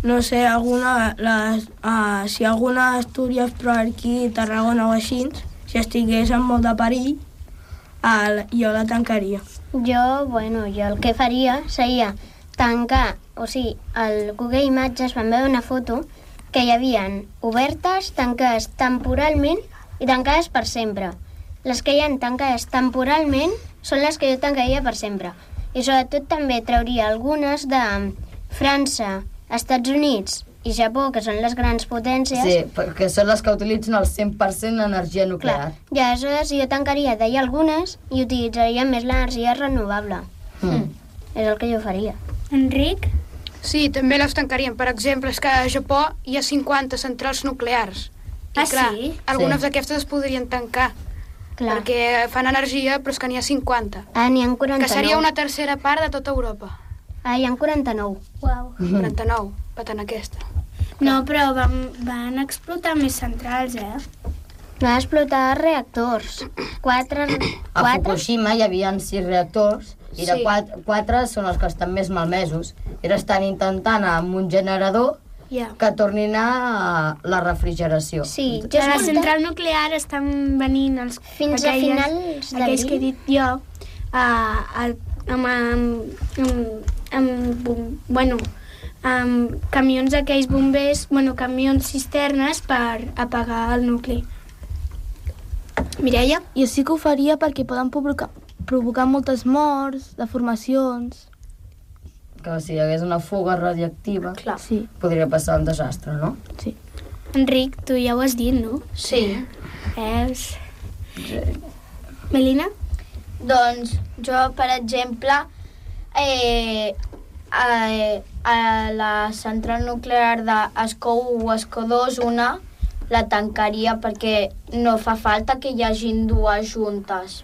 Speaker 7: no sé, alguna... Les, uh, si alguna Astúries, però aquí, Tarragona o així, si estigués en molt de perill, el, jo la tancaria.
Speaker 1: Jo, bueno, jo el que faria seria tancar, o sigui, al Google Imatges vam veure una foto que hi havien obertes, tancades temporalment i tancades per sempre. Les que hi ha tancades temporalment són les que jo tancaria per sempre. I sobretot també trauria algunes de França, Estats Units i Japó, que són les grans potències.
Speaker 2: Sí, perquè són les que utilitzen el cent per cent d'energia nuclear.
Speaker 1: Clar. I aleshores jo tancaria d'allà algunes i utilitzaria més l'energia renovable.
Speaker 2: Mm.
Speaker 1: És el que jo faria.
Speaker 4: Enric?
Speaker 6: Sí, també les tancarien. Per exemple, és que a Japó hi ha cinquanta centrals nuclears. I
Speaker 4: Ah,
Speaker 6: clar,
Speaker 4: sí?
Speaker 6: algunes
Speaker 2: Sí.
Speaker 6: d'aquestes es podrien tancar,
Speaker 1: Clar.
Speaker 6: perquè fan energia, però és que n'hi ha cinquanta.
Speaker 1: Ah, n'hi ha quaranta-nou.
Speaker 6: Que seria una tercera part de tota Europa.
Speaker 1: Ah, hi ha quaranta-nou.
Speaker 4: Uau.
Speaker 6: quaranta-nou, patant aquesta.
Speaker 4: No, però van, van explotar més centrals, eh?
Speaker 1: Va explotar reactors. Quatre...
Speaker 2: A
Speaker 1: quatre?
Speaker 2: Fukushima hi havia sis reactors i de
Speaker 6: Sí.
Speaker 2: quatre, quatre són els que estan més malmesos. I ara estan intentant amb un generador
Speaker 4: Ja.
Speaker 2: que tornin a la refrigeració.
Speaker 1: Sí, jo
Speaker 4: De la
Speaker 1: escolta-
Speaker 4: central nuclear estan venint els,
Speaker 1: Fins a finals d'abril.
Speaker 4: aquells que he dit jo, a, a, amb, amb, amb, amb, bom- bueno, amb camions d'aquells bombers, bueno, camions cisternes per apagar el nucli. Mireia?
Speaker 8: Jo sí que ho faria perquè poden provocar, provocar moltes morts, deformacions...
Speaker 2: Que si hi hagués una fuga radioactiva,
Speaker 3: Clar.
Speaker 8: Sí,
Speaker 2: podria passar un desastre, no?
Speaker 8: sí.
Speaker 4: Enric, tu ja ho has dit, no?
Speaker 3: Sí.
Speaker 4: Veus? Melina?
Speaker 3: Doncs jo, per exemple, eh, a, a la central nuclear d'Escó u o Escó dos, una, la tancaria perquè no fa falta que hi hagin dues juntes.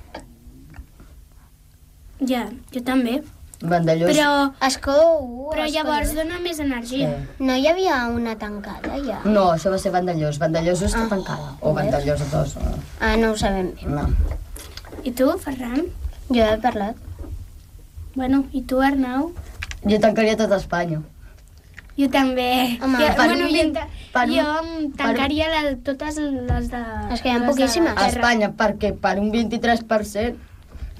Speaker 4: Ja, jo també.
Speaker 2: Vandellós...
Speaker 4: Però,
Speaker 1: Escó u,
Speaker 4: però
Speaker 1: Escó
Speaker 4: llavors
Speaker 1: dos.
Speaker 4: dona més energia.
Speaker 2: Sí.
Speaker 1: No hi havia una tancada, ja?
Speaker 2: No, això va ser Vandellós. Vandellós està tancada. O Vandellós dos. no.
Speaker 1: Ah, no ho sabem bé.
Speaker 2: No.
Speaker 4: I tu, Ferran?
Speaker 1: Jo he parlat.
Speaker 4: Bueno, i tu, Arnau?
Speaker 2: Jo tancaria tot Espanya.
Speaker 4: Jo també.
Speaker 1: Home,
Speaker 4: jo,
Speaker 2: per
Speaker 4: bueno,
Speaker 2: un
Speaker 4: jo,
Speaker 2: vint-
Speaker 4: ta-
Speaker 2: per un-
Speaker 4: jo em tancaria la, totes les de...
Speaker 1: És que hi ha
Speaker 4: les de
Speaker 1: poquíssimes.
Speaker 2: A
Speaker 4: terra.
Speaker 2: Espanya, perquè per un vint-i-tres per cent,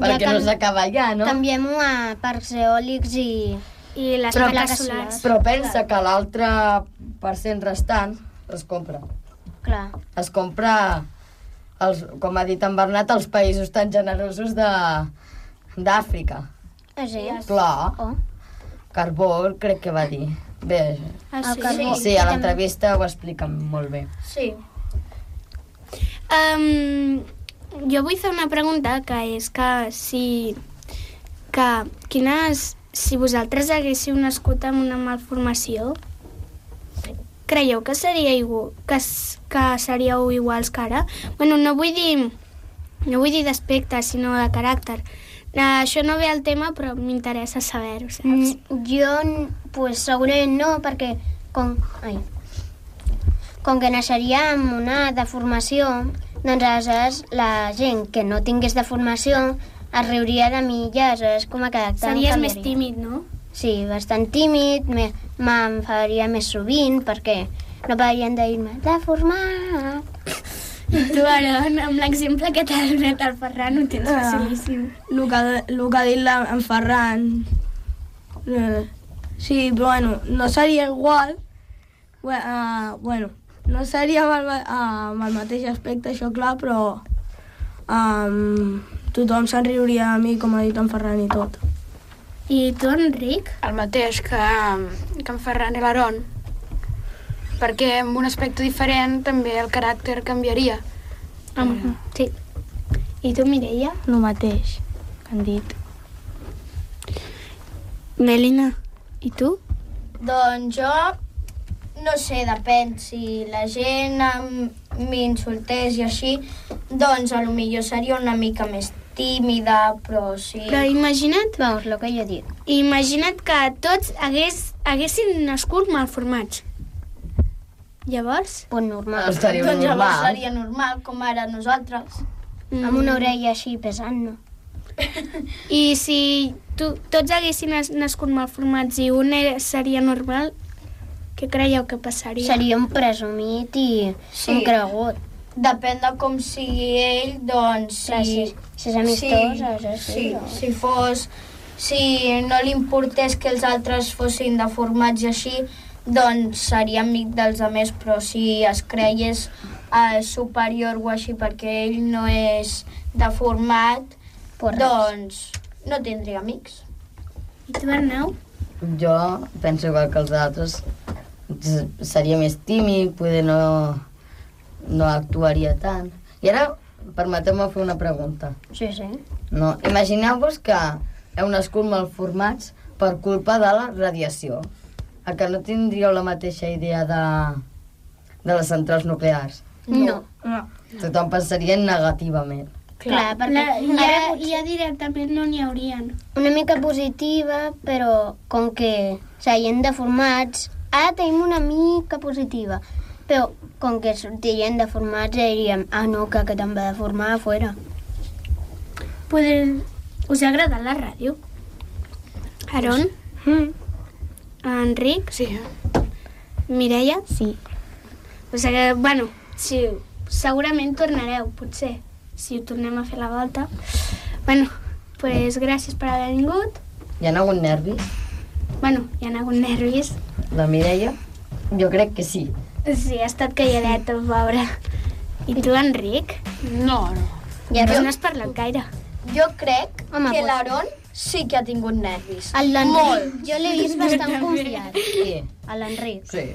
Speaker 1: Ja
Speaker 2: perquè no
Speaker 1: can-
Speaker 2: s'acaba allà, no?
Speaker 1: Canviem-ho a parcs eòlics i...
Speaker 4: I les
Speaker 2: Però-
Speaker 4: plaques solars.
Speaker 2: Però pensa que l'altre per cent restant es compra.
Speaker 1: Clar.
Speaker 2: Es compra, els, com ha dit en Bernat, els països tan generosos de d'Àfrica.
Speaker 1: Ah, sí?
Speaker 2: Clar,
Speaker 1: Oh.
Speaker 2: carbó, crec que va dir. Bé,
Speaker 4: Ah,
Speaker 1: El
Speaker 4: sí?
Speaker 1: carbó.
Speaker 2: sí, a l'entrevista ho expliquen molt bé.
Speaker 3: Sí.
Speaker 4: Um, jo vull fer una pregunta, que és que si... que quines... Si vosaltres haguéssiu nascut amb una malformació, creieu que seria igual, que, s- que seríeu iguals que ara? Bueno, no vull dir... No vull dir d'aspecte, sinó de caràcter. Uh, això no ve al tema, però m'interessa saber-ho, saps?
Speaker 1: Mm, jo, pues, segurament no, perquè com, ai, com que naixeria amb una deformació, doncs aleshores la gent que no tingués deformació es riuria de mi i aleshores com a caràcter em
Speaker 4: Series més
Speaker 1: canviaria.
Speaker 4: tímid, no?
Speaker 1: Sí, bastant tímid, me- m'enfadaria més sovint perquè no pararien de dir-me deformat.
Speaker 4: I tu, ara, amb l'exemple que t'ha donat el Ferran, ho tens
Speaker 7: Ah.
Speaker 4: facilíssim.
Speaker 7: El que, el que ha dit la, en Ferran... Eh, sí, però bueno, no seria igual. Bueno, uh, bueno no seria amb el, ma- uh, amb el mateix aspecte, això clar, però um, tothom se'n riuria de mi, com ha dit en Ferran i tot.
Speaker 4: I tu, Enric?
Speaker 6: El mateix que, que en Ferran i l'Aaron, perquè amb un aspecte diferent també el caràcter canviaria.
Speaker 4: Um, sí. I tu, Mireia?
Speaker 8: El mateix que han dit.
Speaker 4: Melina, i tu?
Speaker 3: Doncs jo, no sé, depèn. Si la gent em- m'insultés i així, doncs a lo millor seria una mica més tímida, però sí...
Speaker 4: Però imagina't,
Speaker 1: Vamos, el que jo dic.
Speaker 4: imagina't que tots hagués, haguessin nascut malformats. Llavors?
Speaker 1: Pues normal.
Speaker 2: Estaria
Speaker 3: Doncs llavors
Speaker 2: normal.
Speaker 3: seria normal, com ara nosaltres.
Speaker 1: Amb una orella així pesant, no?
Speaker 4: I si tu, tots haguessin nas- nascut malformats i un era, seria normal, què creieu que passaria?
Speaker 1: Seria un presumit i
Speaker 3: Sí.
Speaker 1: un cregut.
Speaker 3: Depèn de com sigui ell, doncs... Si,
Speaker 1: Clar, si, si és amistós, aleshores sí.
Speaker 3: sí,
Speaker 1: no?
Speaker 3: si fos... Si no li importés que els altres fossin deformats i així, doncs seria amic dels altres, però si es creies eh, superior o així perquè ell no és deformat,
Speaker 1: Pues res.
Speaker 3: doncs no tindria amics.
Speaker 4: I tu, Arnau?
Speaker 2: Jo penso igual que els altres. S- Seria més tímid, poder no, no actuaria tant. I ara, permeteu-me fer una pregunta.
Speaker 1: Sí, sí.
Speaker 2: No? Imagineu-vos que heu nascut malformats per culpa de la radiació. A que no tindríeu la mateixa idea de, de les centrals nuclears?
Speaker 1: No.
Speaker 7: No.
Speaker 2: Tothom pensaria negativament.
Speaker 1: Clar, perquè
Speaker 4: La, ja,
Speaker 1: ara
Speaker 4: ja directament no n'hi haurien.
Speaker 1: una mica positiva, però com que serien deformats, ara tenim una mica positiva, però com que sortirien deformats diríem, ah no, que aquest em va deformar a fora.
Speaker 4: Poder... Us ha agradat la ràdio? Aaron?
Speaker 7: Mm.
Speaker 4: Enric?
Speaker 6: Sí,
Speaker 4: Mireia?
Speaker 8: Sí.
Speaker 4: O sigui, bueno, sí, segurament tornareu, potser, si ho tornem a fer la volta. Bueno, pues gràcies per haver vingut.
Speaker 2: Hi ha hagut nervis?
Speaker 4: Bueno, hi ha hagut nervis.
Speaker 2: La Mireia? Jo crec que sí.
Speaker 4: Sí, ha estat calladet, el pobre. I tu, Enric?
Speaker 6: no, no.
Speaker 1: I
Speaker 4: Pues
Speaker 1: ara
Speaker 4: no has parlat gaire.
Speaker 3: Jo crec
Speaker 1: Home,
Speaker 3: que
Speaker 1: pues-
Speaker 3: l'Aaron sí que ha tingut nervis.
Speaker 1: el
Speaker 3: Molt.
Speaker 1: l'Enric, jo l'he vist bastant confiat.
Speaker 2: Sí.
Speaker 1: A l'Enric.
Speaker 2: Sí.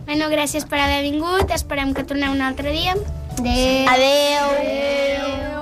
Speaker 4: Bueno, gràcies per haver vingut. Esperem que torneu un altre dia.
Speaker 1: Adéu.
Speaker 3: Adeu.
Speaker 1: Adéu.